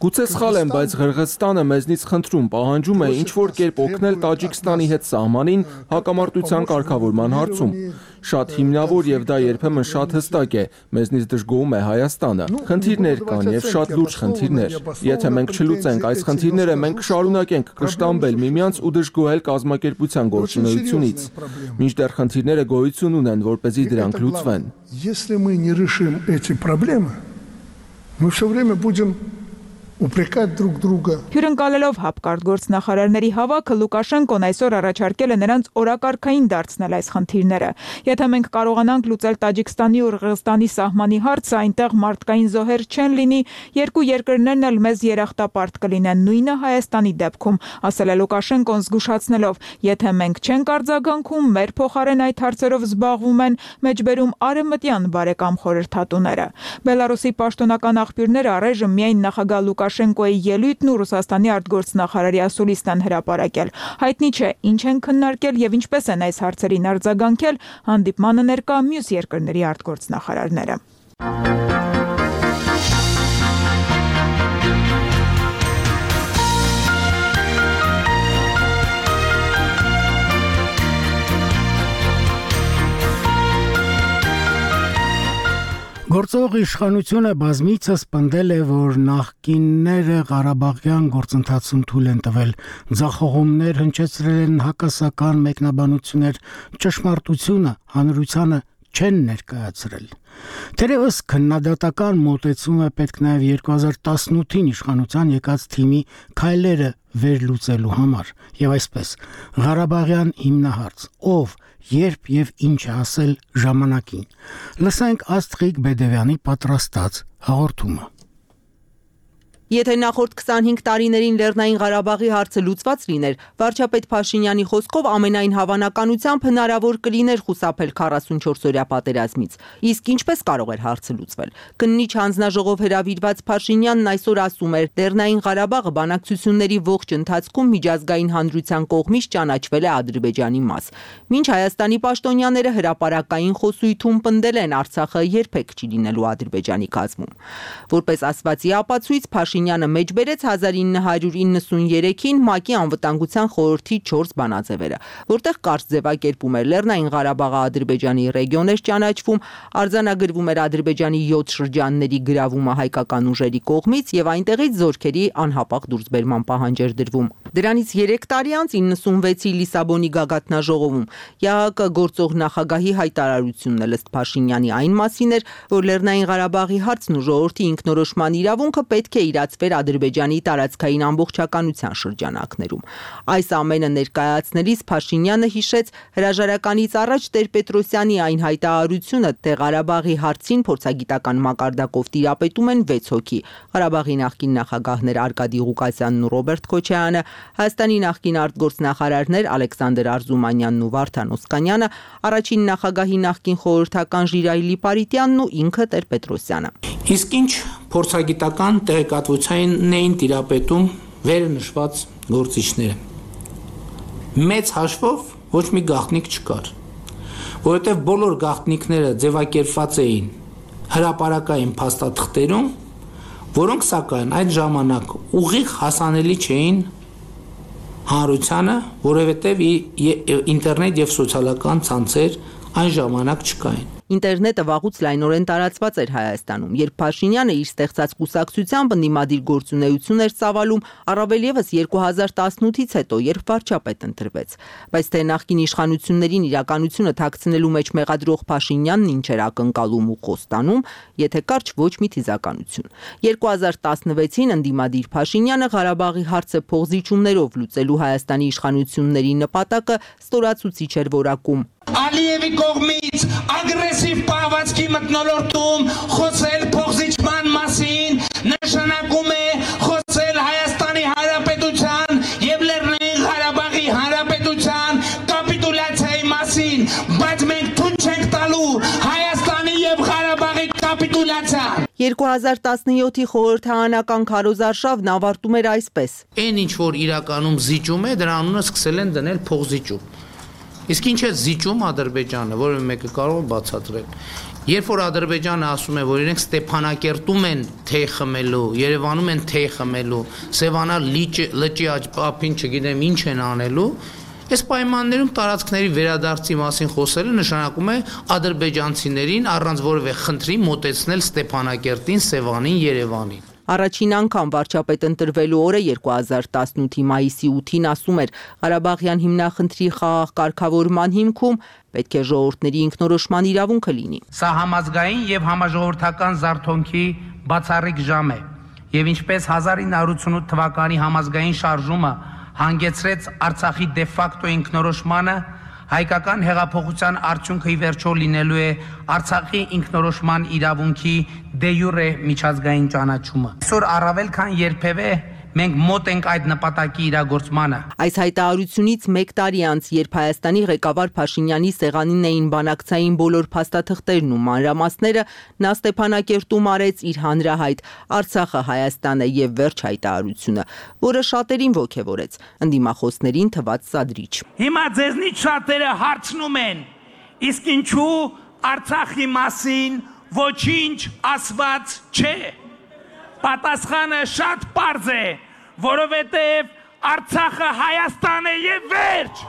Գուցե սխալ եմ, բայց Ղրղստանը մեզնից խնդրում, պահանջում է ինչ որ կերպ օգնել Տաջիկստանի հետ սահմանին հակամարտության կարգավորման հարցում։ Շատ հիմնավոր եւ դա երբեմն շատ հստակ է, մեզնից դժգոհում է Հայաստանը։ Խնդիրներ կան եւ շատ լուրջ խնդիրներ։ Եթե մենք չլուծենք այս խնդիրները, մենք կշարունակենք կշտամբել միմյանց ու դժգոհել կազմակերպության գործունեությունից։ Մինչդեռ խնդիրները գոյություն ունեն, որպեսզի դրանք լուծվեն։ Если мы не решим эти проблемы, мы все время будем упрекать друг друга. Հյուրընկալելով հապկարտգործնախարարների հավաքը Լուկաշենկոն այսօր առաջարկել է նրանց օրակարգային դարձնել այս խնդիրները։ Եթե մենք կարողանանք լուծել Տաջիկստանի ու Ղրղստանի սահմանի հարցը, այնտեղ մարդկային զոհեր չեն լինի, երկու երկրներն էլ մեզ երախտապարտ կլինեն, նույնը Հայաստանի դեպքում, ասել է Լուկաշենկոն զգուշացնելով, եթե մենք չենք արձագանքում, մեր փոխարեն այդ հարցերով զբաղվում են մեջբերում արևմտյան բարեկամ խորհրդատուները։ Բելարուսի պաշտոնական աղբյուրները առայժմ միայն նախագահ Լուկաշենկոյի ելույթն ու Ռուսաստանի արտգործնախարարի ասուլիսն են հրապարակել։ Հայտնի չէ, ինչ են քննարկել եւ ինչպես են այս հարցերին արձագանքել հանդիպմանը ներկա մյուս երկրների արտգործնախարարները։ Գործող իշխանությունը բազմիցս պնդել է, որ նախկինները Ղարաբաղյան գործընթացում թույլ են տվել, ձախողումներ հնչեցրել են հակասական մեկնաբանություններ, ճշմարտությունը հանրությանը չեն ներկայացրել։ Թերևս քննադատական մոտեցումը պետք նաև երկու հազար տասնութին իշխանության եկած թիմի քայլերը վերլուծելու համար, եւ այսպես Ղարաբաղյան հիմնահարց, ով, երբ եւ ինչ է ասել ժամանակին։ Լսենք Աստղիկ Բեդևյանի պատրաստած հաղորդումը։ Եթե նախորդ քսանհինգ տարիներին Լեռնային Ղարաբաղի հարցը լուծված լիներ, վարչապետ Փաշինյանի խոսքով ամենայն հավանականությամբ հնարավոր կլիներ խուսափել քառասունչորսօրյա պատերազմից։ Իսկ ինչպես կարող էր հարցը լուծվել։ Քննիչ հանձնաժողով հրավիրված Փաշինյանն այսօր ասում էր, Լեռնային Ղարաբաղը բանակցությունների ողջ ընթացքում միջազգային հանրության կողմից ճանաչվել է Ադրբեջանի մաս։ Մինչ Հայաստանի պաշտոնյաները հրապարակային խոսույթում պնդել են Արցախը երբեք չի լինելու Ադրբեջանի կազմում։ Որպես ասվածի ապացույց Փաշինյանը մեջբերեց հազար ինը հարյուր իննսուներեքին ՄԱԿ-ի անվտանգության խորհրդի չորս բանաձևերը, որտեղ կարճ ձևակերպում էր Լեռնային Ղարաբաղը Ադրբեջանի ռեգիոն էր ճանաչվում, արձանագրվում էր Ադրբեջանի յոթ շրջանների գրավումը հայկական ուժերի կողմից եւ այնտեղից զորքերի անհապաղ դուրսբերման պահանջ էր դրվում։ Դրանից երեք տարի անց իննսունվեցի Լիսաբոնի գագաթնաժողովում ԵԱՀԿ գործող նախագահի հայտարարությունն էլ ըստ Փաշինյանի այն մասին էր, որ Լեռնային Ղարաբաղի հարցն ու ժողովրդի ինքնորոշման իրավունքը պետք է իրացնել տարածվեր Ադրբեջանի տարածքային ամբողջականության շրջանակներում։ Այս ամենը ներկայացնելիս Փաշինյանը հիշեց հրաժարականից առաջ Տեր-Պետրոսյանի այն հայտարարությունը, թե Ղարաբաղի հարցին փորձագիտական մակարդակով տիրապետում են վեց հոգի։ Ղարաբաղի նախկին նախագահներ Արկադի Ղուկասյանն ու Ռոբերտ Քոչարյանը, Հայաստանի նախկին արտգործնախարարներ Ալեքսանդր Արզումանյանն ու Վարդան Օսկանյանը, առաջին նախագահի նախկին խորհրդական Ժիրայելի Պարիտյանն ու ինքը Տեր-Պետրոսյանը։ Իսկ ինչ փորձագիտական տեղեկատվությանն էին տիրապետում վերը նշված գործիչները։ Մեծ հաշվով ոչ մի գաղտնիք չկար, որովհետև բոլոր գաղտնիքները ձևակերպված էին հրապարակային փաստաթղթերում, որոնք սակայն այդ ժամանակ ուղիղ հասանելի չէին հանրությանը, որովհետև ինտերնետ եւ սոցիալական ցանցեր այն ժամանակ չկային։ Ինտերնետը վաղուց լայնորեն տարածված էր Հայաստանում, երբ Փաշինյանը իր ստեղծած կուսակցությամբ ընդդիմադիր գործունեություն էր ծավալում, առավել ևս երկու հազար տասնութից հետո, երբ վարչապետ ընտրվեց։ Բայց թե նախկին իշխանություններին իրականությունը թաքցնելու մեջ մեղադրող Փաշինյանն ինչ էր ակնկալում ու խոստանում, եթե կարճ ոչ մի թիզականություն։ երկու հազար տասնվեցին ընդդիմադիր Փաշինյանը Ղարաբաղի հարցը փողզիջումներով լուծելու Հայաստանի իշխանությունների նպատակը ստորացուցիչ էր որակում։ Ալիևի կողմից ագրեսիվ պահվածքի մթնոլորտում խոսել փողզիջման մասին նշանակում է խոսել Հայաստանի Հանրապետության եւ Լեռնային Ղարաբաղի Հանրապետության կապիտուլյացիայի մասին, բայց մենք թույլ չենք տալու Հայաստանի եւ Ղարաբաղի կապիտուլյացիան։ երկու հազար տասնյոթի խորհրդարանական քարոզարշավն ավարտում էր այսպես. Այն ինչ որ իրականում զիջում է, դրա անունը սկսել են դնել փողզիջում։ Իսկ ինչ է զիջում Ադրբեջանը, որը մեկը կարող է բացատրել։ Երբ որ Ադրբեջանը ասում է, որ իրենք Ստեփանակերտում են թեյ խմելու, Երևանում են թեյ խմելու, Սևանա լճի ափին չգիտեմ ինչ են անելու, այս պայմաններում տարածքների վերադարձի մասին խոսելը նշանակում է ադրբեջանցիներին առանց որևէ խնդրի մոտեցնել Ստեփանակերտին, Սևանին, Երևանին։ Առաջին անգամ վարչապետ ընտրվելու օրը երկու հազար տասնութի մայիսի ութին ասում էր Ղարաբաղյան հիմնախնդրի խաղաղ կարգավորման հիմքում պետք է ժողովուրդների ինքնորոշման իրավունքը լինի։ Սա համազգային եւ համաժողովրդական զարթոնքի բացառիկ ժամ է, եւ ինչպես հազար ինը հարյուր ութսունութ թվականի համազգային շարժումը հանգեցրեց Արցախի դե ֆակտո ինքնորոշմանը, հայկական հեղափոխության արդյունքը ի վերջո լինելու է Արցախի ինքնորոշման իրավունքի դե յուրե միջազգային ճանաչումը։ Այսօր առավել քան երբևէ մենք մոտ ենք այդ նպատակի իրագործմանը։ Այս հայտարարությունից մեկ տարի անց, երբ Հայաստանի ղեկավար Փաշինյանի սեղանին էին բանակցային բոլոր փաստաթղթերն ու մանրամասները, նա Ստեփանակերտում արեց իր հանրահայտ Արցախը Հայաստանը եւ վերջ հայտարարությունը, որը շատերին ոգևորեց, ընդդիմախոսներին թվաց սադրիչ։ Հիմա ձեզնից շատերը հարցնում են. իսկ ինչու Արցախի մասին ոչինչ ասված չէ։ Պատասխանը շատ պարզ է, որովհետև Արցախը Հայաստան է եւ վերջ։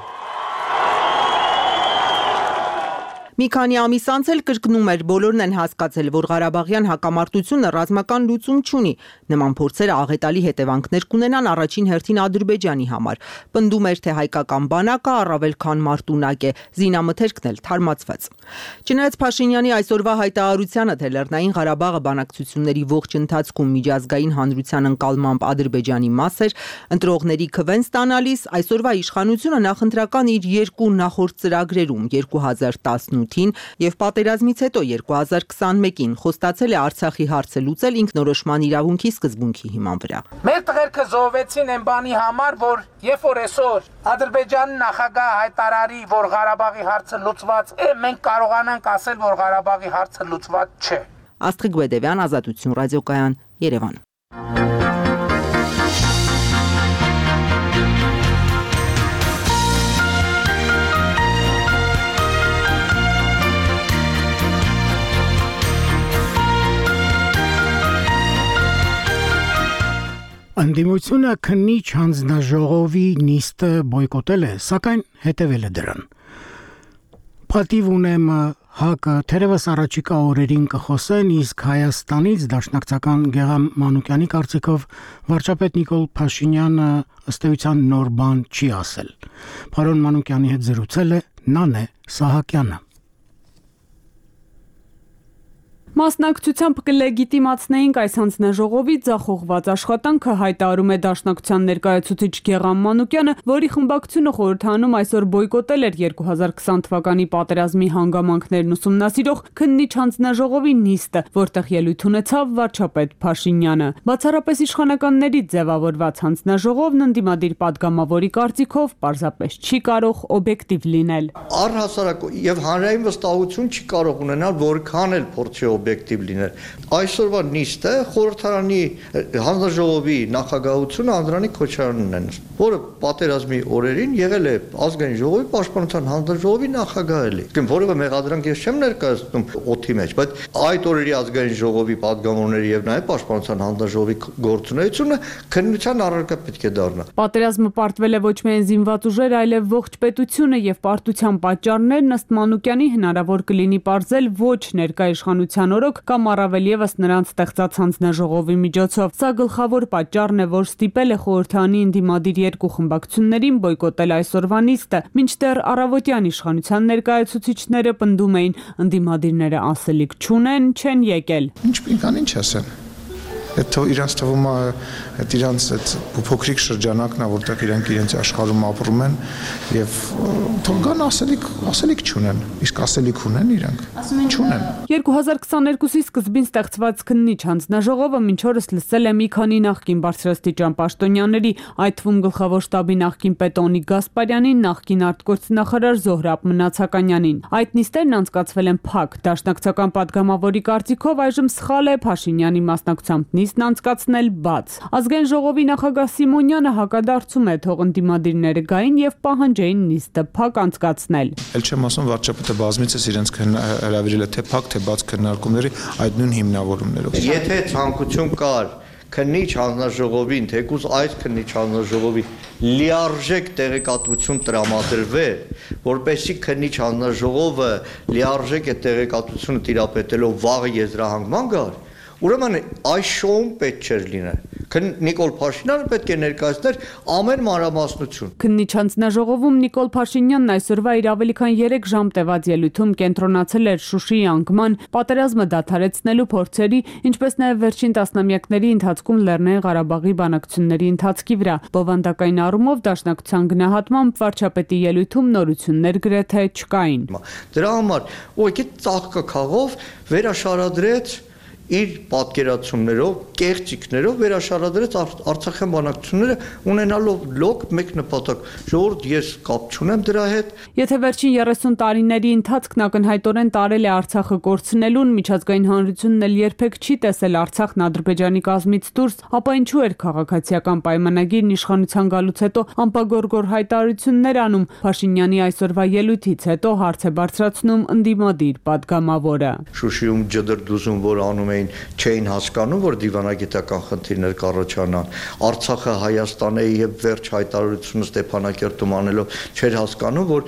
Մի քանի ամիս անց էլ կրկնում էր, բոլորն են հասկացել, որ Ղարաբաղյան հակամարտությունը ռազմական լուծում չունի։ Նման փորձերը աղետալի հետևանքներ կունենան առաջին հերթին Ադրբեջանի համար։ Պնդում էր, թե հայկական բանակը առավել քան մարտունակ է, զինամթերքն էլ թարմացված։ Չնայած Փաշինյանի այսօրվա հայտարարությանը, թե Լեռնային Ղարաբաղը բանակցությունների ողջ ընթացքում միջազգային հանրության ընկալմամբ Ադրբեջանի մաս էր, ընտրողների քվեն ստանալիս այսօրվա իշխանությունը նախընտրական իր երկու նախորդ ծրագրերում երկու հազար տասնութին եւ պատերազմից հետո երկու հազար քսանմեկին խոստացել է Արցախի հարցը լուծել ինքնորոշման իրավունքի սկզբունքի հիման վրա։ Մեր տղերքը զոհվեցին այն բանի համար, որ երբ որ այսօր Ադրբեջանի նախագահ հայտարարի, որ Ղարաբաղի հարցը լուծված է, մենք կարողանանք ասել, որ Ղարաբաղի հարցը լուծված չէ։ Աստղիկ Բեդևյան, Ազատություն ռադիոկայան, Երևան։ Անդիմությունը քննիչ հանձնաժողովի նիստը բոյկոտել է, սակայն հետևել է դրան։ Պատիվ ունեմ ՀԱԿ-ը թերևս առաջիկա օրերին կխոսեն, իսկ Հայաստանից դաշնակցական Գեգամ Մանուկյանի կարծիքով վարչապետ Նիկոլ Փաշինյանը ըստ էության նոր բան չի ասել։ Պարոն Մանուկյանի հետ զրուցել է Նանե Սահակյանը։ Մասնակցությամբ կլեգիտիմացնեինք այս հանձնաժողովի ձախողված աշխատանքը, հայտարարում է Դաշնակցության ներկայացուցիչ Գեղամ Մանուկյանը, որի խմբակցությունը խորհրդանում այսօր բոյկոտել էր երկու հազար քսան թվականի պատերազմի հանգամանքներն ուսումնասիրող քննիչ հանձնաժողովի նիստը, որտեղ ելույթ ունեցավ վարչապետ Փաշինյանը։ Բացառապես իշխանականների ձևավորված հանձնաժողովն ընդդիմադիր պատգամավորի կարծիքով պարզապես չի կարող օբյեկտիվ լինել։ Առհասարակ եւ հանրային վստահություն չի կարող ունենալ, որքան էլ փորձի օբյեկտիվ լինել։ Այսօրվա նիստը խորհրդարանի հանձնաժողովի նախագահությունը Անդրանիկ Քոչարյանն է, որը պատերազմի օրերին եղել է ազգային ժողովի պաշտպանության հանձնաժողովի նախագահ էլի։ Որևէ մեղադրանք ես չեմ ներկայացնում օդի մեջ, բայց այդ օրերի ազգային ժողովի պատգամավորների եւ նաեւ պաշտպանության հանձնաժողովի գործունեությունը քննության առարկա պետք է դառնա։ Պատերազմը պարտվել է ոչ միայն զինված ուժեր, այլև ողջ պետությունը եւ պարտության պատճառներն ըստ Մանուկյանի հնարավոր կլինի պարզել ոչ ներկայ իշխանության օրոք կամ առավել եւս նրանց ստեղծած հանձնաժողովի միջոցով։ Սա գլխավոր պատճառն է, որ ստիպել է խորհրդանի ընդդիմադիր երկու խմբակցություններին բոյկոտել այսօրվա նիստը, մինչդեռ առավոտյան իշխանության ներկայացուցիչները պնդում էին, ընդդիմադիրները ասելիք չունեն, չեն եկել։ Ինչ ինքան ինչ ասեն։ Հետո իրանց թվում է այդ իրանց այդ փոքրիկ շրջանակն է, որտեղ իրանք իրենց աշխարհում ապրում են եւ թող գան ասելիք, ասելիք չունեն, իսկ ասելիք ունեն իրանք։ Չունեն։ երկու հազար քսաներկուսի սկզբին ստեղծված քննիչ հանձնաժողովը մինչ օրս լսել է մի քանի նախկին բարձրաստիճան պաշտոնյաների, այդ թվում գլխավոր շտաբի նախկին պետ Օնիկ Գասպարյանին, նախկին արտգործնախարար Զոհրաբ Մնացականյանին։ Այդ նիստերն անցկացվել են փակ։ Դաշնակցական պատգամավորի կարծիքով այժմ սխալ է Փաշինյանի մասնակցությամբ նիստն անցկացնել բաց։ Ազգային ժողովի նախագահ Սիմոնյանը հակադարձում է, թող ընդդիմադիրները գային եւ պահանջեին նիստը փակ անցկացնել։ Էլ չեմ ասում վարչապետը բազմիցս իրենց հրավիրել է թե փակ թե բաց քննարկումների այդ նույն հիմնավորումներով։ Եթե ցանկություն կար քննիչ հանձնաժողովին, թեկուզ այս քննիչ հանձնաժողովի լիարժեք տեղեկատվություն տրամադրվեր, որպեսզի քննիչ հանձնաժողովը լիարժեք է տեղեկատվությունը տիրապետելով վաղը եզրահանգման գար, ուրեմն այս շոուն պետք չէր լինել։ Նիկոլ Փաշինյանը պետք է ներկայացներ ամեն մանրամասնություն։ Քննիչ հանձնաժողովում Նիկոլ Փաշինյանն այսօրվա իր ավելի քան երեք ժամ տևած ելույթում կենտրոնացել էր Շուշիի անկման, պատերազմը դադարեցնելու փորձերի, ինչպես նաև վերջին տասնամյակների ընթացքում Լեռնային Ղարաբաղի բանակցությունների ընթացքի վրա։ Բովանդակային առումով Դաշնակցության գնահատմամբ վարչապետի ելույթում նորություններ գրեթե չկային։ Դրա համար ուղղակի ծաղկակաղով վերաշարադրեց իր պատկերացումներով, կեղծիքներով վերաշարադրեց Արցախյան բանակցությունները ունենալով լոկ մեկ նպատակ։ Ժողովուրդ, ես կապ չունեմ դրա հետ։ Եթե վերջին երեսուն տարիների ընթացքն ակնհայտորեն տարել է Արցախը կորցնելուն, միջազգային հանրությունն էլ երբեք չի տեսել Արցախն Ադրբեջանի կազմից դուրս, ապա ինչու էր քաղաքացիական պայմանագիրն իշխանության գալուց հետո անպագորգոր հայտարարություններ անում։ Փաշինյանի այսօրվա ելույթից հետո հարց է բարձրացնում ընդդիմադիր պատգամավորը։ Շուշիում ջդրդուզում, որ անում էին, չէին հասկանում, որ դիվանագիտական խնդիրներ կառաջանան։ Արցախը Հայաստան է եւ վերջ հայտարարությունը Ստեփանակերտում անելով չէր հասկանում, որ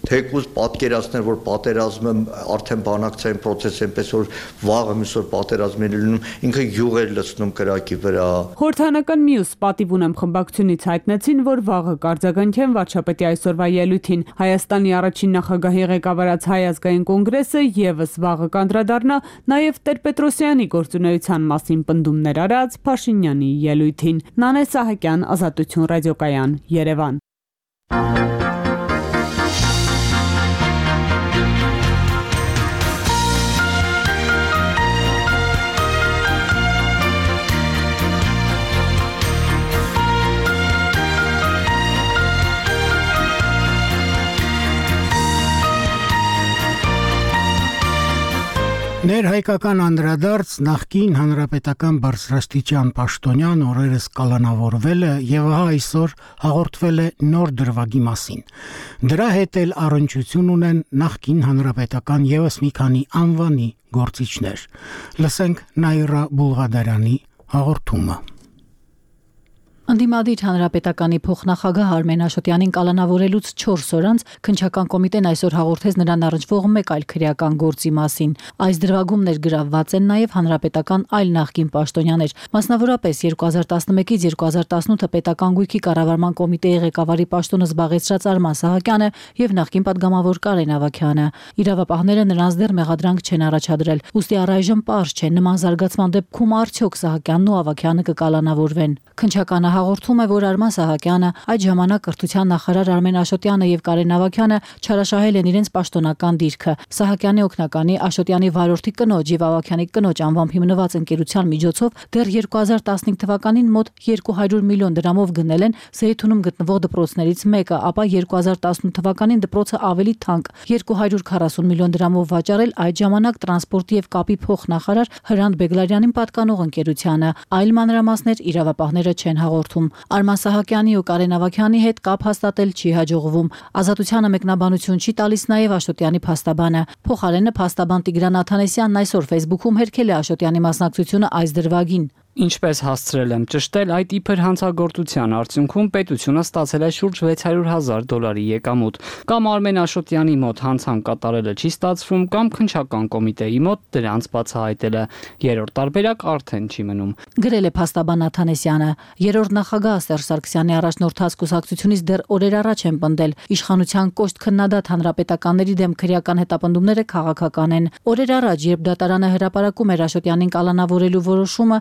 թեկուզ պատկերացնել, որ պատերազմը արդեն բանակցային process է, այնպես որ վաղը միսօր պատերազմն է լինում, ինքը յուղ էր լցնում կրակի վրա։ Խորհրդանական մյուս պատիվ ունեմ խմբակցությունից հայտնեցին, որ վաղը կարձագանքեն վարչապետի այսօրվա ելույթին։ Հայաստանի առաջին նախագահի ղեկավարած Հայ ազգային կոնգրեսը եւս վաղը կանդրադառնա նաեւ Տեր-Պետրոսյանի գործունեության մասին պնդումներ արած Փաշինյանի ելույթին։ Նանե Սահակյան, Ազատություն ռադիոկայան, Երևան։ Ներհայկական անդրադարձ նախկին հանրապետական բարձրաստիճան պաշտոնյան օրերս կալանավորվել է եւ ահա այսօր հաղորդվել է նոր դրվագի մասին։ Դրա հետ էլ առնչություն ունեն նախկին հանրապետական եւս մի քանի անվանի գործիչներ։ Լսենք Նաիրա Բուլղադարյանի հաղորդումը։ Անդիմադիր հանրապետականի փոխնախագահ Արմեն Աշոտյանին կալանավորելուց չորս օր անց քննչական կոմիտեն այսօր հաղորդեց նրան առնչվող մեկ այլ քրեական գործի մասին։ Այս դրվագում ներգրավված են նաև հանրապետական այլ նախկին պաշտոնյաներ, մասնավորապես երկու հազար տասնմեկից երկու հազար տասնութ պետական գույքի կառավարման կոմիտեի ղեկավարի պաշտոնը զբաղեցրած Արման Սահակյանը եւ նախկին падգամավոր Կարեն Ավագյանը։ Իրավապահները նրանց դեռ մեղադրանք չեն առաջադրել, ուստի առայժմ պարզ չէ նման զարգացման դեպքում արդյոք Սահակյանն ու Ավագյանը կկալանավորվեն։ Քննչականը հաղորդում է, որ Արման Սահակյանը, այդ ժամանակ կրթության նախարար Արմեն Աշոտյանը եւ Կարեն Ավագյանը չարաշահել են իրենց պաշտոնական դիրքը։ Սահակյանի օգնականի Աշոտյանի վարորդի կնոջ եւ Ավագյանի կնոջ անվամբ հիմնված ընկերության միջոցով դեռ երկու հազար տասնհինգ թվականին մոտ երկու հարյուր միլիոն դրամով գնել են Զեյթունում գտնվող դպրոցներից մեկը, ապա երկու հազար տասնութ թվականին դպրոցը ավելի թանկ երկու հարյուր քառասուն միլիոն դրամով վաճառել այդ ժամանակ տրանսպորտի եւ կապի փոխնախարար Հրանտ Բեգլարյանին պատկանող ընկերությանը։ Այլ մանրամասներ իրավապահները չեն հաղորդում։ Արման Սահակյանի ու Կարեն Ավագյանի հետ կապ հաստատել չի հաջողվում։ Ազատությանը մեկնաբանություն չի տալիս նաև Աշոտյանի փաստաբանը։ Փոխարենը փաստաբան Տիգրան Աթանեսյանն այսօր Facebook-ում հերքել է Աշոտյանի մասնակցությունը այս դրվագին։ Ինչպես հասցրել եմ ճշտել, այդ իբր հանցագործության արդյունքում պետությունը ստացել է շուրջ վեց հարյուր հազար դոլարի եկամուտ։ Կամ Արմեն Աշոտյանի մոտ հանցանք կատարելը չի ստացվում, կամ քննչական կոմիտեի մոտ դրանց բացահայտելը։ Երրորդ տարբերակ արդեն չի մնում։ Գրել է փաստաբան Աթանեսյանը։ Երրորդ նախագահ Սերժ Սարգսյանի առաջնորդած կուսակցությունից դեռ օրեր առաջ են պնդել իշխանության կոշտ քննադատ հանրապետականների դեմ քրեական հետապնդումները քաղաքական են։ Օրեր առաջ, երբ դատարանը հրապարակում էր Աշոտյանին կալանավորելու որոշումը,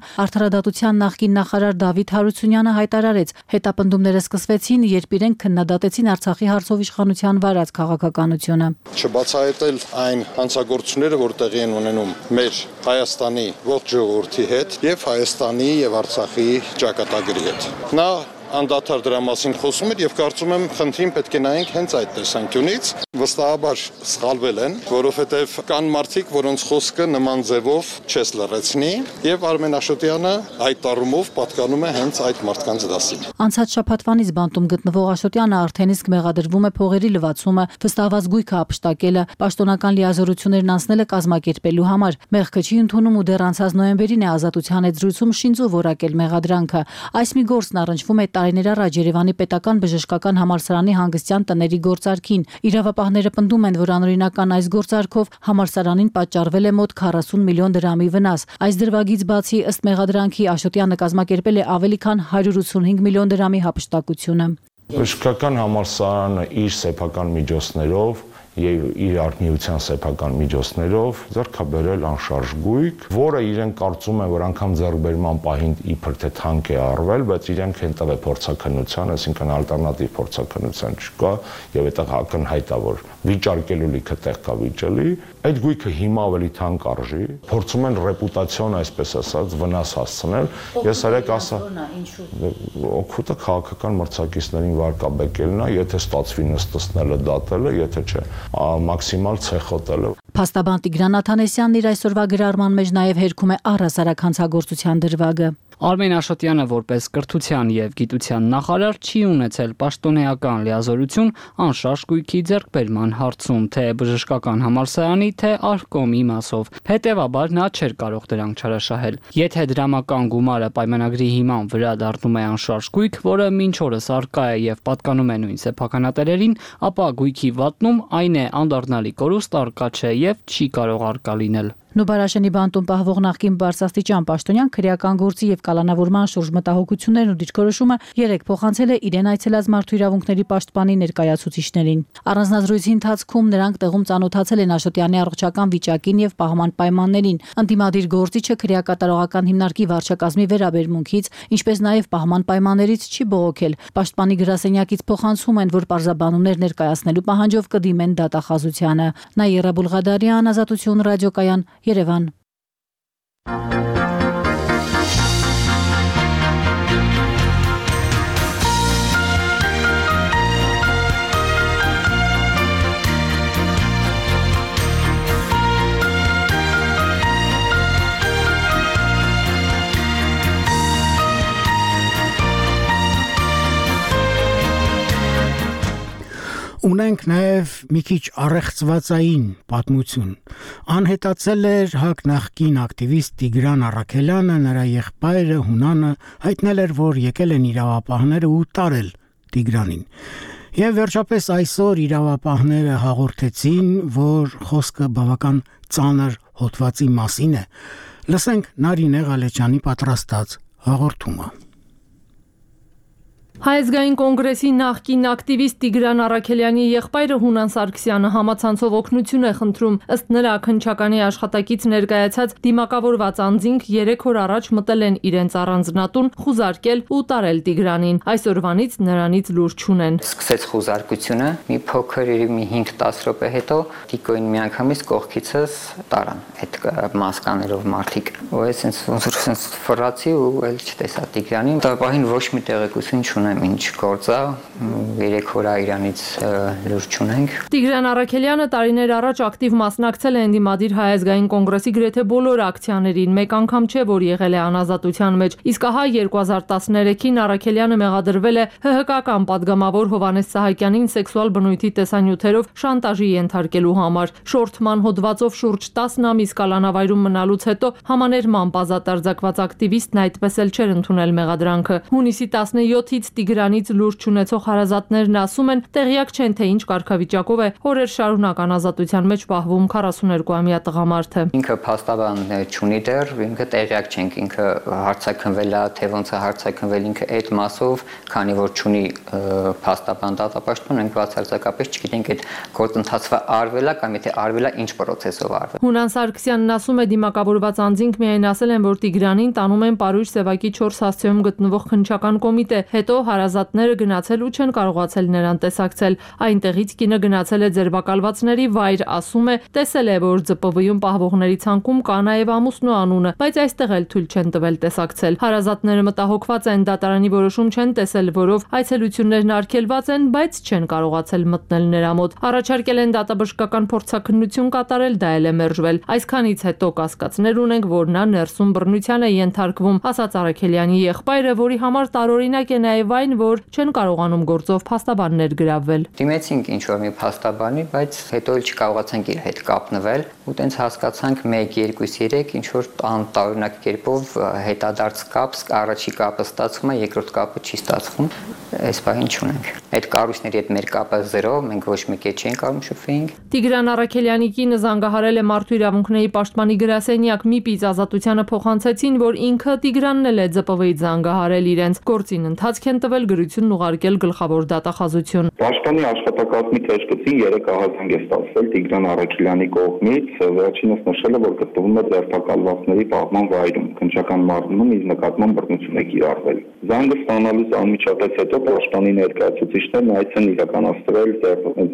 Արդարադատության նախկին նախարար Դավիթ Հարությունյանը հայտարարեց, հետապնդումները սկսվեցին, երբ իրենք քննադատեցին Արցախի հարցով իշխանության վարած քաղաքականությունը։ Չբացահայտել այն հանցագործությունները, որ տեղի են ունենում մեր Հայաստանի ողջ ժողովրդի հետ եւ Հայաստանի եւ Արցախի ճակատագրի հետ։ Նա անդադար դրա մասին խոսում էր եւ կարծում եմ խնդրին պետք է նայենք հենց այդ տեսանկյունից։ Վստահաբար սխալվել են, որովհետեւ կան մարդիկ, որոնց խոսքը նման ձևով չես լռեցնի եւ Արմեն Աշոտյանը այդ առումով պատկանում է հենց այդ մարդկանց դասին։ Անցած շաբաթվանից բանտում գտնվող Աշոտյանը արդեն իսկ մեղադրվում է փողերի լվացումը, վստահված գույքը ապշտակելը, պաշտոնական լիազորություններն անցնելը կազմակերպելու համար։ Մեղքը չի ընդունում ու դեռ անցած նոյեմբերին է Ազատության հետ զրույցում շինծու որակել մեղադրանքը։ Այս մի գործն առնչվում է տարիներ առաջ Երևանի պետական բժշկական համալսարանի հանգստյան տների գործարքին։ Իրավապահները պնդում են, որ անօրինական այս գործարքով համալսարանին պատճառվել է մոտ քառասուն միլիոն դրամի վնաս։ Այս դրվագից բացի, ըստ մեղադրանքի, Աշոտյանը կազմակերպել է ավելի քան հարյուր ութսունհինգ միլիոն դրամի հափշտակությունը։ Բժշկական համալսարանը իր սեփական միջոցներով եւ իր արտնիության սեփական միջոցներով ձեռքաբերել անշարժ գույք, որը իրեն կարծում են, որ անգամ ձեռքբերման պահին իբր թե թանկ է արվել, բայց իրենք են տվել փորձաքննության, այսինքն ալտերնատիվ փորձաքննության չկա եւ այդտեղ ակնհայտ է, որ վիճարկելու լիքը տեղ կա վիճելի, այդ գույքը հիմա ավելի թանկ արժի, փորձում են ռեպուտացիոն, այսպես ասած, վնաս հասցնել։ Ես արեք ասա, օգուտը քաղաքական մրցակիցներին վարկաբեկելն է, եթե ստացվի նստեցնելը, դատելը, եթե չէ մաքսիմալ ցեխոտելը։ Փաստաբան Տիգրան Աթանեսյանն իր այսօրվա գրառման մեջ նաև հերքում է առհասարակ հանցագործության դրվագը։ Արմեն Աշոտյանը որպես կրթության եւ գիտության նախարար չի ունեցել պաշտոնեական լիազորություն անշարժ գույքի ձեռքբերման հարցում, թե բժշկական համալսարանի, թե Արկոմի մասով։ Հետևաբար նա չէր կարող դրանք չարաշահել։ Եթե դրամական գումարը պայմանագրի հիման վրա դառնում է անշարժ գույք, որը մինչ օրս արկա է եւ պատկանում է նույն սեփականատերերին, ապա գույքի վատնում այն է անդառնալի կորուստ արկա չէ եւ չի կարող արկա լինել։ Նուբարաշենի բանտում պահվող նախկին բարձրաստիճան պաշտոնյան քրեական գործի եւ կալանավորման շուրջ մտահոգություններն ու դիրքորոշումը երեք փոխանցել է իրեն այցելած մարդու իրավունքների պաշտպանի ներկայացուցիչներին։ Առանձնազրույցի ընթացքում նրանք տեղում ծանոթացել են Աշոտյանի առողջական վիճակին եւ պահման պայմաններին։ Ընդդիմադիր գործիչը քրեակատարողական հիմնարկի վարչակազմի վերաբերմունքից, ինչպես նաեւ պահման պայմաններից չի բողոքել։ Պաշտպանի գրասենյակից փոխանցում են, որ պարզաբանումներ ներկայացնելու պահանջով կդիմեն դատախազությանը։ Նաիրա Բուլղադարյան, Ազատություն ռադիոկայան, Երևան։ Ունենք նաև մի քիչ առեղծվածային պատմություն։ Անհետացել էր ՀԱԿ նախկին ակտիվիստ Տիգրան Առաքելյանը, նրա եղբայրը Հունանը հայտնել էր, որ եկել են իրավապահները ու տարել Տիգրանին։ Եվ վերջապես այսօր իրավապահները հաղորդեցին, որ խոսքը բավական ծանր հոդվածի մասին է։ Լսենք Նարինե Ղալեջյանի պատրաստած հաղորդումը։ Հայազգային կոնգրեսի նախկին ակտիվիստ Տիգրան Առաքելյանի եղբայրը Հունան Սարգսյանը համացանցով օգնություն է խնդրում։ Ըստ նրա քննչականի աշխատակից ներկայացած դիմակավորված անձինք երեք օր առաջ մտել են իրենց առանձնատուն, խուզարկել ու տարել Տիգրանին։ Այսօրվանից նրանից լուր չունեն։ Սկսեց խուզարկությունը, մի փոքր մի հինգ-դես րոպե հետո Տիկոին միանգամից կողքիցս տարան այդ մասկաներով մարդիկ։ Ու այսպես ոնց որ sense ֆրացի ու էլ չտեսա Տիգրանին։ Տապահին ոչ մի տեղեկություն չունեմ ինչ գործա, երեք օր իրանից լուր չունենք։ Տիգրան Առաքելյանը տարիներ առաջ ակտիվ մասնակցել է Ընդդիմադիր Հայազգային կոնգրեսի գրեթե բոլոր ակցիաներին, մեկ անգամ չէ, որ եղել է անազատության մեջ։ Իսկ ահա երկու հազար տասներեքին Առաքելյանը մեղադրվել է ՀՀԿ-ական падգամավոր Հովհաննես Սահակյանին սեքսուալ բնույթի տեսանյութերով շանտաժի ենթարկելու համար։ Շորթման հոդվածով շուրջ տասն ամիս կալանավայրում մնալուց հետո համաներմամբ ազատ արձակված ակտիվիստն այդպես էլ չէր ընդունել մեղադրանքը։ Հունիսի տասնյոթից Տիգրանից լուր չունեցող հարազատներն ասում են, տեղյակ չեն, թե ինչ կարգավիճակով է օրեր շարունակ անազատության մեջ պահվում քառասուներկուամյա տղամարդը։ Ինքը փաստաբան չունի դեռ, ինքը տեղյակ չենք, ինքը հարցաքնվել է, թե ոնց է հարցաքնվել, ինքը այդ մասով, քանի որ չունի փաստաբան դատապաշտպան, ենք բացարձակապես չգիտենք այդ գործընթացը արվել է կամ եթե արվել է ինչ պրոցեսով արվել։ Հունան Սարգսյանն ասում է, դիմակավորված անձինք միայն ասել են, որ Տիգրանին տանում են Պարույր Սևակի չորս հասցեում գտնվող քննչական կոմիտե, հետո հարազատները գնացել ու չեն կարողացել նրան տեսակցել։ Այնտեղից կինը գնացել է ձերբակալվածների վայր, ասում է, տեսել է, որ ԶՊՎ-ում պահվողների ցանկում կա նաև ամուսնու անունը, բայց այստեղ էլ թույլ չեն տվել տեսակցել։ Հարազատները մտահոգված են, դատարանի որոշում չեն տեսել, որով այցելություններն արգելված են, բայց չեն կարողացել մտնել նրա մոտ։ Առաջարկել են դատաբժշկական փորձաքննություն կատարել, դա էլ է մերժվել։ Այսքանից հետո կասկածներ ունենք, որ նա ներսում բռնության է ենթարկվում, ասաց Առաքելյանի եղբայրը, որի համար տարօրինակ է նաև այն, որ չեն կարողանում գործով փաստաբաններ գրավել։ Դիմեցինք ինչ որ մի փաստաբանի, բայց հետո էլ չկարողացանք իր հետ կապնվել ու տենց հասկացանք մեկ, երկու, երեք ինչ որ տարօրինակ կերպով հետադարձ կապ, առաջի կապը ստացվում է, երկրորդ կապը չի ստացվում։ Այս բանին չունենք։ Այդ կառույցների հետ մեր կապը զերո, մենք ոչ մեկի հետ չենք կարող շփվենք։ Տիգրան Առաքելյանի կինը զանգահարել է Մարդու իրավունքների պաշտպանի գրասենյակ, Միպից ազատությանը փոխանցեցին, որ ինքը Տիգրանն էլ է ԶՊՎ-ից զանգահարել իրենց։ Գործին ընթացք են տվել, գրությունն ուղարկել գլխավոր դատախազություն։ Պաշտպանի աշխատակազմի թեժկծին երեք ահազանգ է ստացվել Տիգրան Առաքելյանի կողմից, վերջինս նշել է, որ գտնվում է ձերբակալվածների պահման վայրում, քննչական մարմնում իր նկատմամբ բռնություն է կիրառվել։ Զանգը ստանալուց անմիջապես հետո պաշտպանի ներկայացուցիչներն այց են իրականացրել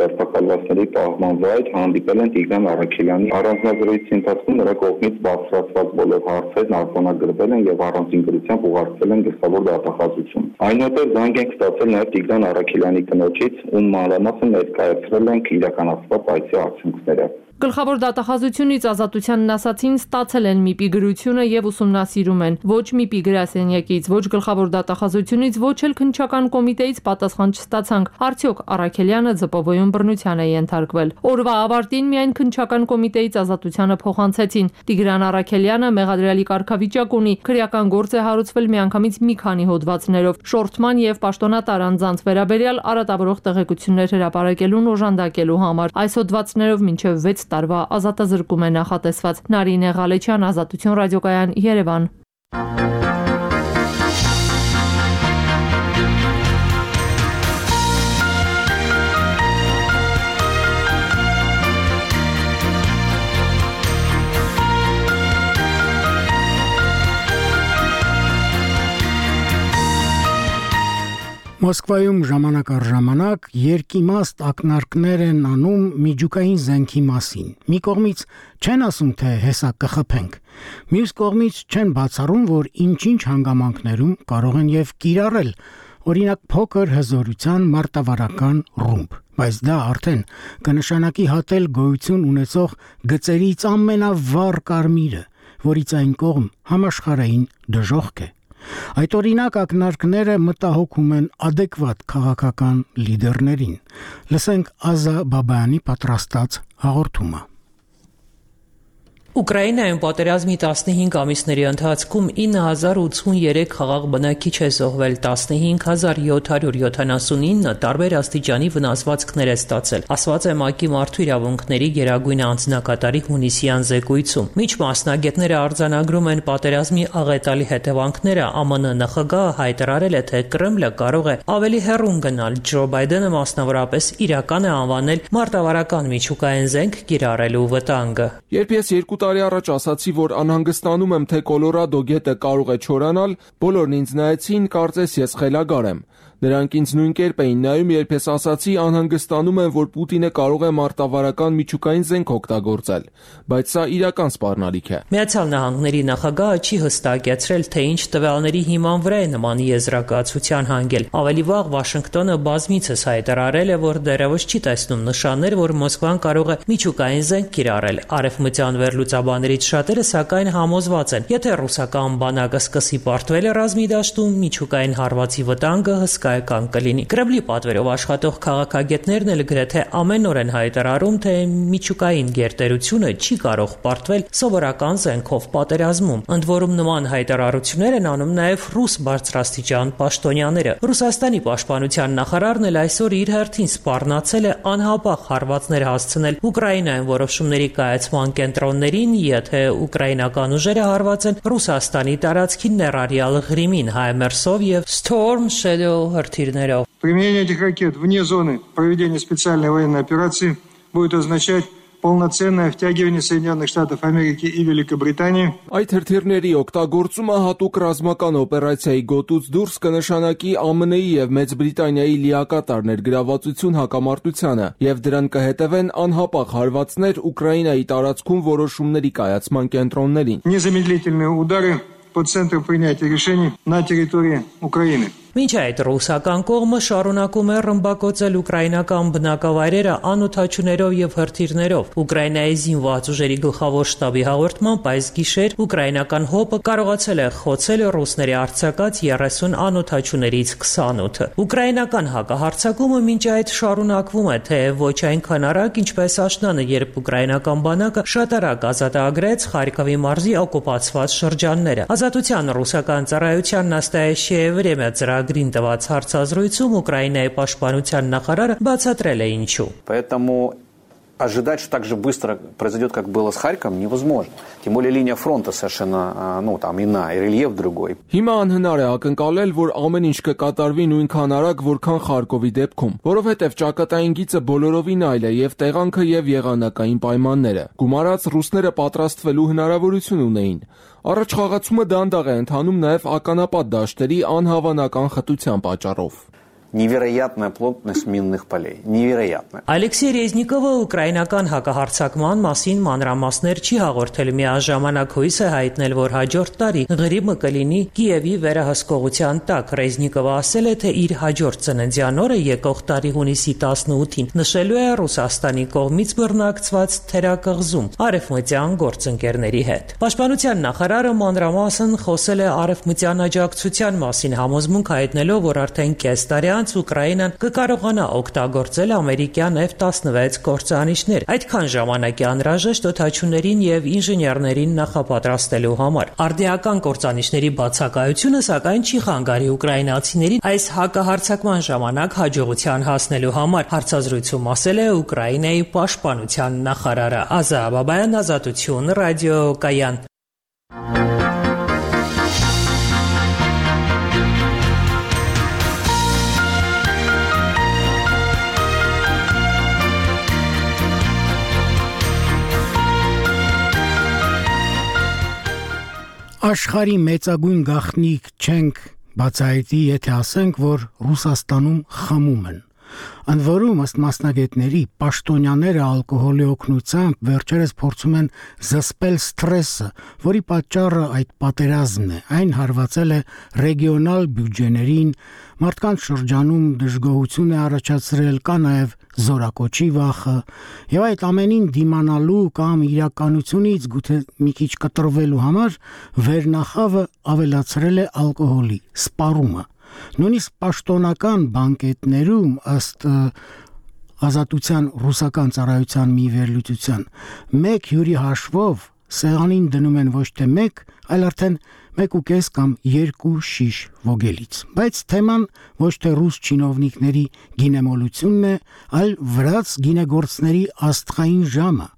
ձերբակալվածների պահման վայր, հանդիպել են Տիգրան Առաքելյանի առանձնազրույցի ընթացքում նրա կողմից բարձրացված բոլոր հարցերն արձանագրվել են եւ առանձին գրությամբ ուղարկվել են գլխավոր դատախազություն։ Այնուհետև զանգ ենք ստացել նաև Տիգրան Առաքելյանի կնոջից, ում մանրամասն ներկայացրել ենք իրականացված այցի արդյունքները։ Գլխավոր դատախազությունից ազատությանն ասացին, ստացել են ՄԻՊ-ի գրությունը եւ ուսումնասիրում են։ Ոչ ՄԻՊ-ի գրասենյակից, ոչ գլխավոր դատախազությունից, ոչ էլ քննչական կոմիտեից պատասխան չստացանք։ Արդյոք Առաքելյանը ԶՊՎ-ում բռնության է ենթարկվել։ Օրվա ավարտին միայն քննչական կոմիտեից ազատությանը փոխանցեցին։ Տիգրան Առաքելյանը մեղադրյալի կարգավիճակ ունի, քրեական գործ է հարուցվել միանգամից մի քանի հոդվածներով։ Շորթման եւ պաշտոնատար անձանց վերաբերյալ արատավորող տեղեկություններ հրապարակելուն օժանդակելու համար։ Այս հոդվածներով մինչեւ վեց տարվա ազատազրկում է նախատեսված։ Նարինե Ղալեջյան, Ազատություն ռադիոկայան, Երևան։ Մոսկվայում ժամանակ առ ժամանակ երկիմաստ ակնարկներ են անում միջուկային զենքի մասին։ Մի կողմից չեն ասում, թե հեսա կխփենք, մյուս կողմից չեն բացառում, որ ինչ-ինչ հանգամանքներում կարող են եւ կիրառել, օրինակ փոքր հզորության մարտավարական ռումբ, բայց դա արդեն կնշանակի հատել գոյություն ունեցող գծերից ամենավառ կարմիրը, որից այն կողմ համաշխարհային դժոխք է։ Այդ օրինակ ակնարկները մտահոգում են ադեկվատ քաղաքական լիդերներին։ Լսենք Ազա Բաբայանի պատրաստած հաղորդումը։ Ուկրաինայում պատերազմի տասնհինգ ամիսների ընթացքում ինը հազար ութսուներեք խաղաղ բնակիչ է զոհվել, տասնհինգ հազար յոթ հարյուր յոթանասունինը տարբեր աստիճանի վնասվածքներ է ստացել, ասված է ՄԱԿ-ի մարդու իրավունքների գերագույն անձնակատարի հունիսյան զեկույցում։ Մինչ մասնագետները արձանագրում են պատերազմի աղետալի հետևանքները, ԱՄՆ նախագահը հայտարարել է, թե Կրեմլը կարող է ավելի հեռուն գնալ։ Ջո Բայդենը մասնավորապես իրական է անվանել մարտավարական միջուկային զենք կիրառելու վտանգը։ Երբ ես երկու տարի առաջ ասացի, որ անհանգստանում եմ, թե Կոլորադո գետը կարող է չորանալ, բոլորն ինձ նայեցին, կարծես ես խելագար եմ։ Նրանք ինձ նույն կերպ էին նայում, երբ ես ասացի անհանգստանում եմ, որ Պուտինը կարող է մարտավարական միջուկային զենք օգտագործել, բայց սա իրական սպառնալիք է։ Միացյալ Նահանգների նախագահը չի հստակեցրել, թե ինչ տվյալների հիման վրա է նման եզրակացության հանգել։ Ավելի վաղ Վաշինգտոնը բազմիցս հայտարարել է, որ դեռևս չի տեսնում նշաններ, որ Մոսկվան կարող է միջուկային զենք կիրառել։ Արևմտյան վերլուծաբաններից շատերը սակայն համոզված են, եթե ռուսական բանակը սկսի պարտվել ռազմի դաշտում, միջուկային հարվածի վտանգը հսկայական կլինի։ Կրեմլի պատվերով աշխատող քաղաքագետներն էլ գրեթե ամեն օր են հայտարարում, թե միջուկային գերտերությունը չի կարող պարտվել սովորական զենքով պատերազմում։ Ընդ որում նման հայտարարություններ են անում նաև ռուս բարձրաստիճան պաշտոնյաները։ Ռուսաստանի պաշտպանության նախարարն էլ այսօր իր հերթին սպառնացել է անհապաղ հարվածներ հասցնել Ուկրաինայում որոշումների կայացման կենտրոններին, եթե ուկրաինական ուժերը հարվածեն Ռուսաստանի տարածքին ներառյալ Ղրիմին, Հայմերսով եւ Storm Shadow հրթիռներով։ Применение этих ракет вне зоны проведения специальной военной операции будет означать полноценное втягивание Соединенных Штатов Америки и Великобритании. Այդ հրթիռների օգտագործումը հատուկ ռազմական օպերացիայի գոտուց դուրս կնշանակի ԱՄՆ-ի եւ Մեծ Բրիտանիայի լիակատար ներգրավվածություն հակամարտությանը եւ դրան կհետևեն անհապաղ հարվածներ Ուկրաինայի տարածքում որոշումների կայացման կենտրոններին։ Незамедлительные удары по центру принятия решений на территории Украины. Մինչ այդ ռուսական կողմը շարունակում է ռմբակոծել ուկրաինական բնակավայրերը անօդաչուներով եւ հրթիռներով։ Ուկրաինայի զինված ուժերի գլխավոր շտաբի հաղորդմամբ այս գիշեր ուկրաինական հոպը կարողացել է խոցել ռուսների արձակած երեսուն անօդաչուներից քսանութը։ Ուկրաինական հակահարձակումը մինչ այդ շարունակվում է, թե ոչ այնքան արագ, ինչպես աշնանը, երբ ուկրաինական բանակը շատ արագ ազատագրեց Խարկովի մարզի օկուպացված շրջանները։ Ազատության ռուսական ծառայության Նաստայաշիե Վրեմյա ծրագրին տված հարցազրույցում Ուկրաինայի պաշտպանության նախարարը բացատրել է ինչու։ Поэтому ожидать, что так же быстро произойдет, как было с Харьковом, невозможно. Тем более линия фронта совершенно, ну, там иная, и рельеф другой. Հիմա անհնար է ակնկալել, որ ամեն ինչ կկատարվի նույնքան արագ, որքան Խարկովի դեպքում, որովհետև ճակատային գիծը բոլորովին այլ է եւ տեղանքը եւ եղանակային պայմանները։ Գումարած ռուսները պատրաստվելու հնարավորություն ունեին։ Առաջ խաղացումը դանդաղ է ընթանում նաև ականապատ դաշտերի անհավանական խտության պատճառով։ Невероятная плотность минных полей. Невероятная. Ալեքսեյ Ռեզնիկովը ուկրաինական հակահարձակման մասին մանրամասներ չի հաղորդել, միաժամանակ հույս է հայտնել, որ հաջորդ տարի Ղրիմը կլինի Կիևի վերահսկողության տակ։ Ռեզնիկովը ասել է, թե իր հաջորդ ծննդյան օրը եկող տարի հունիսի տասնութին նշելու է Ռուսաստանի կողմից բռնակցված թերակղզում արևմտյան գործընկերների հետ։ Պաշտպանության նախարարը մանրամասն խոսել է արևմտյան աջակցության մասին, համոզմունք հայտնելով, որ արդեն կես տարի Ուկրաինան կկարողանա օգտագործել ամերիկյան F տասնվեց կործանիչներ, այդքան ժամանակ է անհրաժեշտ օդաչուներին եւ ինժեներներին նախապատրաստելու համար։ Արդիական կործանիչների բացակայությունը սակայն չի խանգարի ուկրաինացիներին այս հակահարձակման ժամանակ հաջողության հասնելու համար, հարցազրույցում ասել է Ուկրաինայի պաշտպանության նախարարը։ Ազա Բաբայան, Ազատություն, ռադիոկայան։ Աշխարհի մեծագույն գաղտնիք չենք բացահայտի, եթե ասենք, որ Ռուսաստանում խմում են։ Ընդ որում, ըստ մասնագետների, պաշտոնյաները ալկոհոլի օգնությամբ վերջերս փորձում են զսպել սթրեսը, որի պատճառը այդ պատերազմն է։ Այն հարվածել է ռեգիոնալ բյուջեներին, մարդկանց շրջանում դժգոհություն է առաջացրել, կա նաև զորակոչի վախը, եւ այդ ամենին դիմանալու կամ իրականությունից գուցե մի քիչ կտրվելու համար վերնախավը ավելացրել է ալկոհոլի սպառումը։ Նույնիսկ պաշտոնական բանկետներում ըստ Ազատության ռուսական ծառայության մի վերլուծության մեկ հյուրի հաշվով սեղանին դնում են ոչ թե մեկ, այլ արդեն մեկ ու կես կամ երկու շիշ ոգելից։ Բայց թեման ոչ թե ռուս չինովնիկների գինեմոլությունն է, այլ վրաց գինեգործների աստղային ժամը։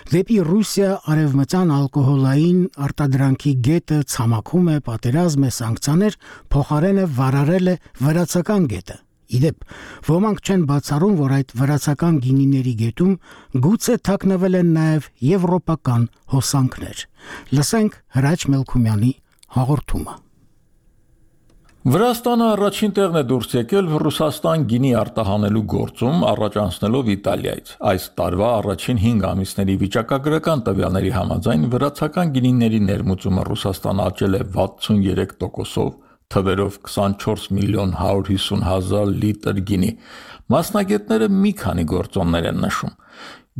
Դեպի Ռուսիա արևմտյան ալկոհոլային արտադրանքի գետը ցամաքում է, պատերազմ է, սանկցիաներ, փոխարենը վարարել է վրացական գետը։ Իդեպ, ոմանք չեն բացառում, որ այդ վրացական գինիների գետում գուցե թաքնվել են նաև եվրոպական հոսանքներ։ Լսենք Հրաչ Մելքումյանի հաղորդումը։ Վրաստանը առաջին տեղն է դուրս եկել Ռուսաստան գինի արտահանելու գործում, առաջ անցնելով Իտալիայից։ Այս տարվա առաջին հինգ ամիսների վիճակագրական տվյալների համաձայն վրացական գինիների ներմուծումը Ռուսաստան աճել է վաթսուներեք տոկոսով, թվերով քսանչորս միլիոն հարյուր հիսուն հազար լիտր գինի։ Մասնագետները մի քանի գործոններ են նշում։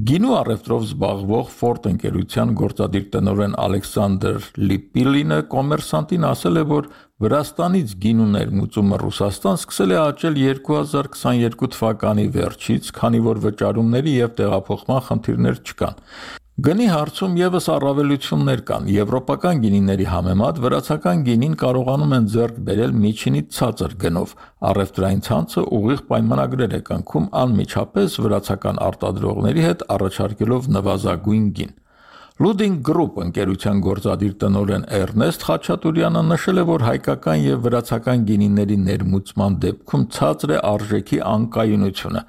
Գինու առևտրով զբաղվող Ֆորդ ընկերության գործադիր տնօրեն Ալեքսանդր Լիպիլինը կոմերսանտին ասել է, որ Վրաստանից գինու ներմուծումը Ռուսաստան սկսել է աճել երկու հազար քսաներկու թվականի վերջից, քանի որ վճարումների եւ տեղափոխման խնդիրներ չկան։ Գնի հարցում եւս առավելություններ կան։ Եվրոպական գինիների համեմատ վրացական գինին կարողանում են ձեռք բերել միջինից ցածր գնով։ Առևտրային ցանցը ուղիղ պայմանագրեր է կնքում անմիջապես վրացական արտադրողների հետ, առաջարկելով նվազագույն գին։ Luding Group ընկերության գործադիր տնօրեն Էրնեստ Խաչատուրյանը նշել է, որ հայկական եւ վրացական գինիների ներմուծման դեպքում ցածր է արժեքի անկայունությունը։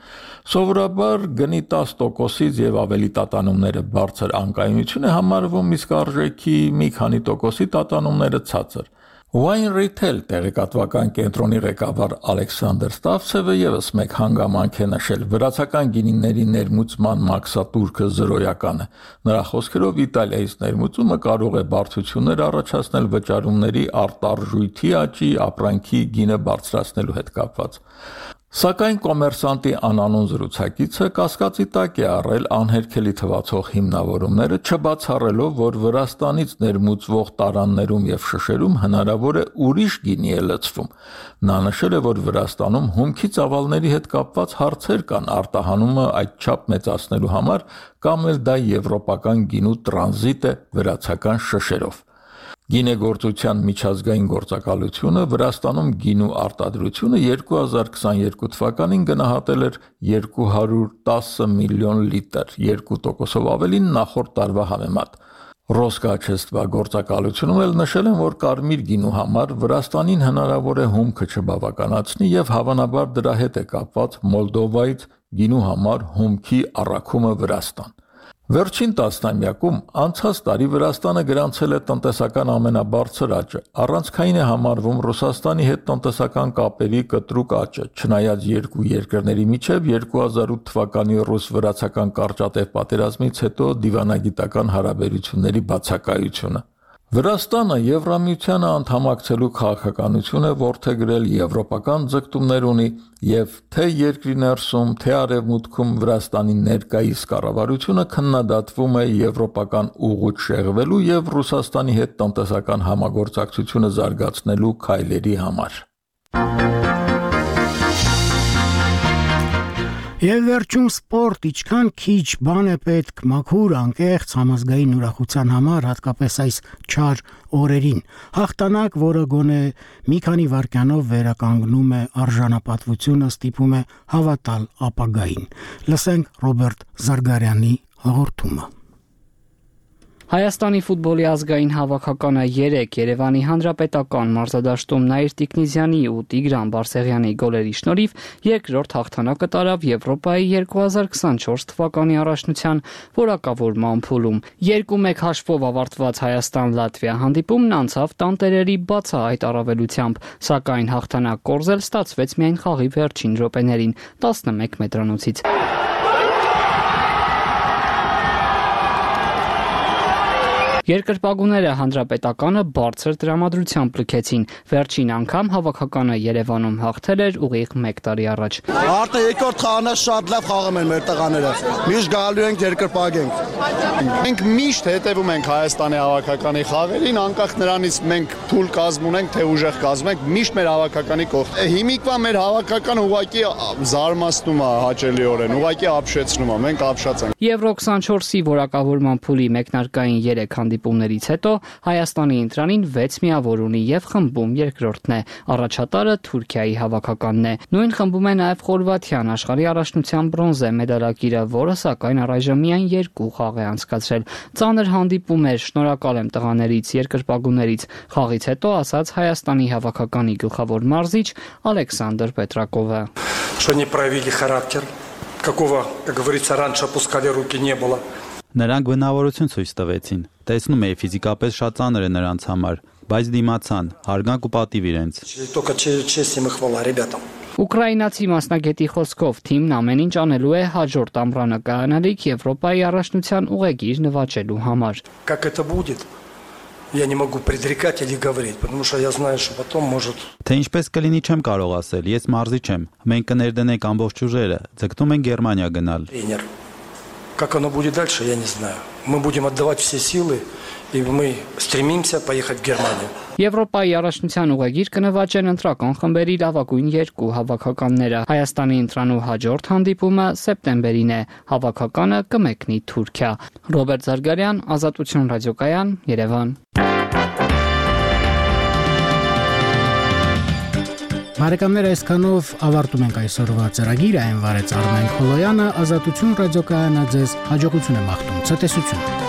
Սովորաբար գնի տասը տոկոսից եւ ավելի տատանումները բարձր անկայունություն է համարվում, իսկ արժեքի մի քանի տոկոսի տատանումները ցածր։ Wine Retail տեղեկատվական կենտրոնի ղեկավար Ալեքսանդր Ստավցևը եւս մեկ հանգամանք է նշել. վրացական գինիների ներմուծման մաքսատուրքը զրոյական է։ Նրա խոսքերով Իտալիայից ներմուծումը կարող է բարդություններ առաջացնել վճարումների արտարժույթի աճի, ապրանքի գինը բարձրացնելու հետ կապված։ Սակայն կոմերսանտի անանուն զրուցակիցը կասկածի տակ է առել անհերքելի թվացող հիմնավորումները, չբացառելով, որ Վրաստանից ներմուծվող տարաններում եւ շշերում հնարավոր է ուրիշ գինի է լցվում։ Նա նշել է, որ Վրաստանում հումքի ծավալների հետ կապված հարցեր կան, արտահանումը այդչափ մեծացնելու համար, կամ էլ դա եվրոպական գինու տրանզիտ է վրացական շշերով։ Գինեգործության միջազգային գործակալությունը Վրաստանում գինու արտադրությունը երկու հազար քսաներկու թվականին գնահատել էր երկու հարյուր տասը միլիոն լիտր, երկու տոկոսով ավելին նախորդ տարվա համեմատ։ Ռոսկաչեստվա գործակալությունում էլ նշել են, որ կարմիր գինու համար Վրաստանին հնարավոր է հումքը չբավականացնի եւ հավանաբար դրա հետ է կապված Մոլդովայից գինու համար հումքի առաքումը Վրաստան։ Վերջին տասնամյակում անցած տարի Վրաստանը գրանցել է տնտեսական ամենաբարձր աճը։ Առանցքային է համարվում Ռուսաստանի հետ տնտեսական կապերի կտրուկ աճը, չնայած երկու երկրների միջև երկու հազար ութ թվականի ռուս-վրացական կարճատև պատերազմից հետո դիվանագիտական հարաբերությունների բացակայությունը։ Վրաստանը Եվրամիությանը անդամակցելու քաղաքականություն է որդեգրել, եվրոպական ձգտումներ ունի եւ թե երկրի ներսում, թե արևմուտքում Վրաստանի ներկայիս կառավարությունը քննադատվում է եվրոպական ուղուց շեղվելու եւ Ռուսաստանի հետ տնտեսական համագործակցությունը զարգացնելու քայլերի համար։ Եվ վերջում սպորտ, ինչքան քիչ բան է պետք մաքուր, անկեղծ համազգային ուրախության համար, հատկապես այս չար օրերին։ Հաղթանակ, որը գոնե մի քանի վայրկյանով վերականգնում է արժանապատվությունը, ստիպում է հավատալ ապագային։ Լսենք Ռոբերտ Զարգարյանի հաղորդումը։ Հայաստանի ֆուտբոլի ազգային հավաքականը երեկ Երևանի Հանրապետական մարզադաշտում Նաիր Տիկնիզյանի ու Տիգրան Բարսեղյանի գոլերի շնորհիվ երկրորդ հաղթանակը տարավ Եվրոպայի երկու հազար քսանչորս թվականի առաջնության որակավորման փուլում։ երկու մեկ հաշվով ավարտված Հայաստան-Լատվիա հանդիպումն անցավ տանտերերի բացահայտ առավելությամբ, սակայն հաղթանակ կորզել ստացվեց միայն խաղի վերջին րոպեներին տասնմեկ մետրանոցից։ Երկրպագուները Հանրապետականը բարձր տրամադրությամբ լքեցին։ Վերջին անգամ հավաքականը Երևանում հաղթել էր ուղիղ մեկ տարի առաջ։ Արդեն երկրորդ խաղանը շատ լավ խաղում են մեր տղաները։ Միշտ գալու ենք երկրպագենք։ Մենք միշտ հետևում ենք Հայաստանի հավաքականի խաղերին, անկախ նրանից մենք փուլ կազմ ունենք, թե ուժեղ կազմ ենք, միշտ մեր հավաքականի կողքն։ Հիմիկվա մեր հավաքականը ուղղակի զարմացնում է հաճելիորեն, ուղղակի ապշեցնում է, մենք ապշած ենք։ Եվրո քսանչորսի որակավորման փուլի մեկնարկային երեք հանդիպումներից հետո Հայաստանի ընտրանին վեց միավոր ունի եւ խմբում երկրորդն է։ Առաջատարը Թուրքիայի հավաքականն է։ Նույն խմբում է նաեւ Խորվաթիան, աշխարհի առաջնության բրոնզե մեդալակիրը, որը սակայն առայժմ միայն երկու խաղ է անցկացրել։ Ծանր հանդիպում էր, շնորհակալ եմ տղաներից, երկրպագուներից, խաղից հետո ասաց Հայաստանի հավաքականի գլխավոր մարզիչ Ալեքսանդր Պետրակովը։ Что не проявили характер, какого, как говорится, раньше опускали руки не было. Նրանք բնավորություն ցույց տվեցին։ Տեսնում էի ֆիզիկապես շատ ծանր է նրանց համար, բայց դիմացան, հարգանք ու պատիվ իրենց։ Только честь им и хвала ребятам. Ուկրաինացի մասնագետի խոսքով թիմն ամեն ինչ անելու է հաջորդ ամռանը կայանալիք Եվրոպայի առաջնության ուղեգիր նվաճելու համար։ Как это будет? Я не могу предрекать или говорить, потому что я знаю, что потом может. Թե ինչպես կլինի չեմ կարող ասել, ես մարզիչ եմ։ Մենք կներդնենք ամբողջ ուժերը, ձգտում ենք Գերմանիա գնալ։ Тренер. Как оно будет дальше, я не знаю. Мы будем отдавать все силы, и мы стремимся поехать в Германию. Եվրոպայի առաջնության ուղեգիր կնվաճեն ընտրական խմբերի լավագույն երկու հավաքականները։ Հայաստանի ընտրանու հաջորդ հանդիպումը սեպտեմբերին է։ Հավաքականը կմեկնի Թուրքիա։ Ռոբերտ Զարգարյան, Ազատություն ռադիոկայան, Երևան։ Բարեկամներ, այսքանով ավարտում ենք այսօրվա ծրագիրը, այն վարեց Արմեն Խոլոյանը, Ազատություն ռադիոկայանը ձեզ հաջողություն է մաղթում, ցտեսություն։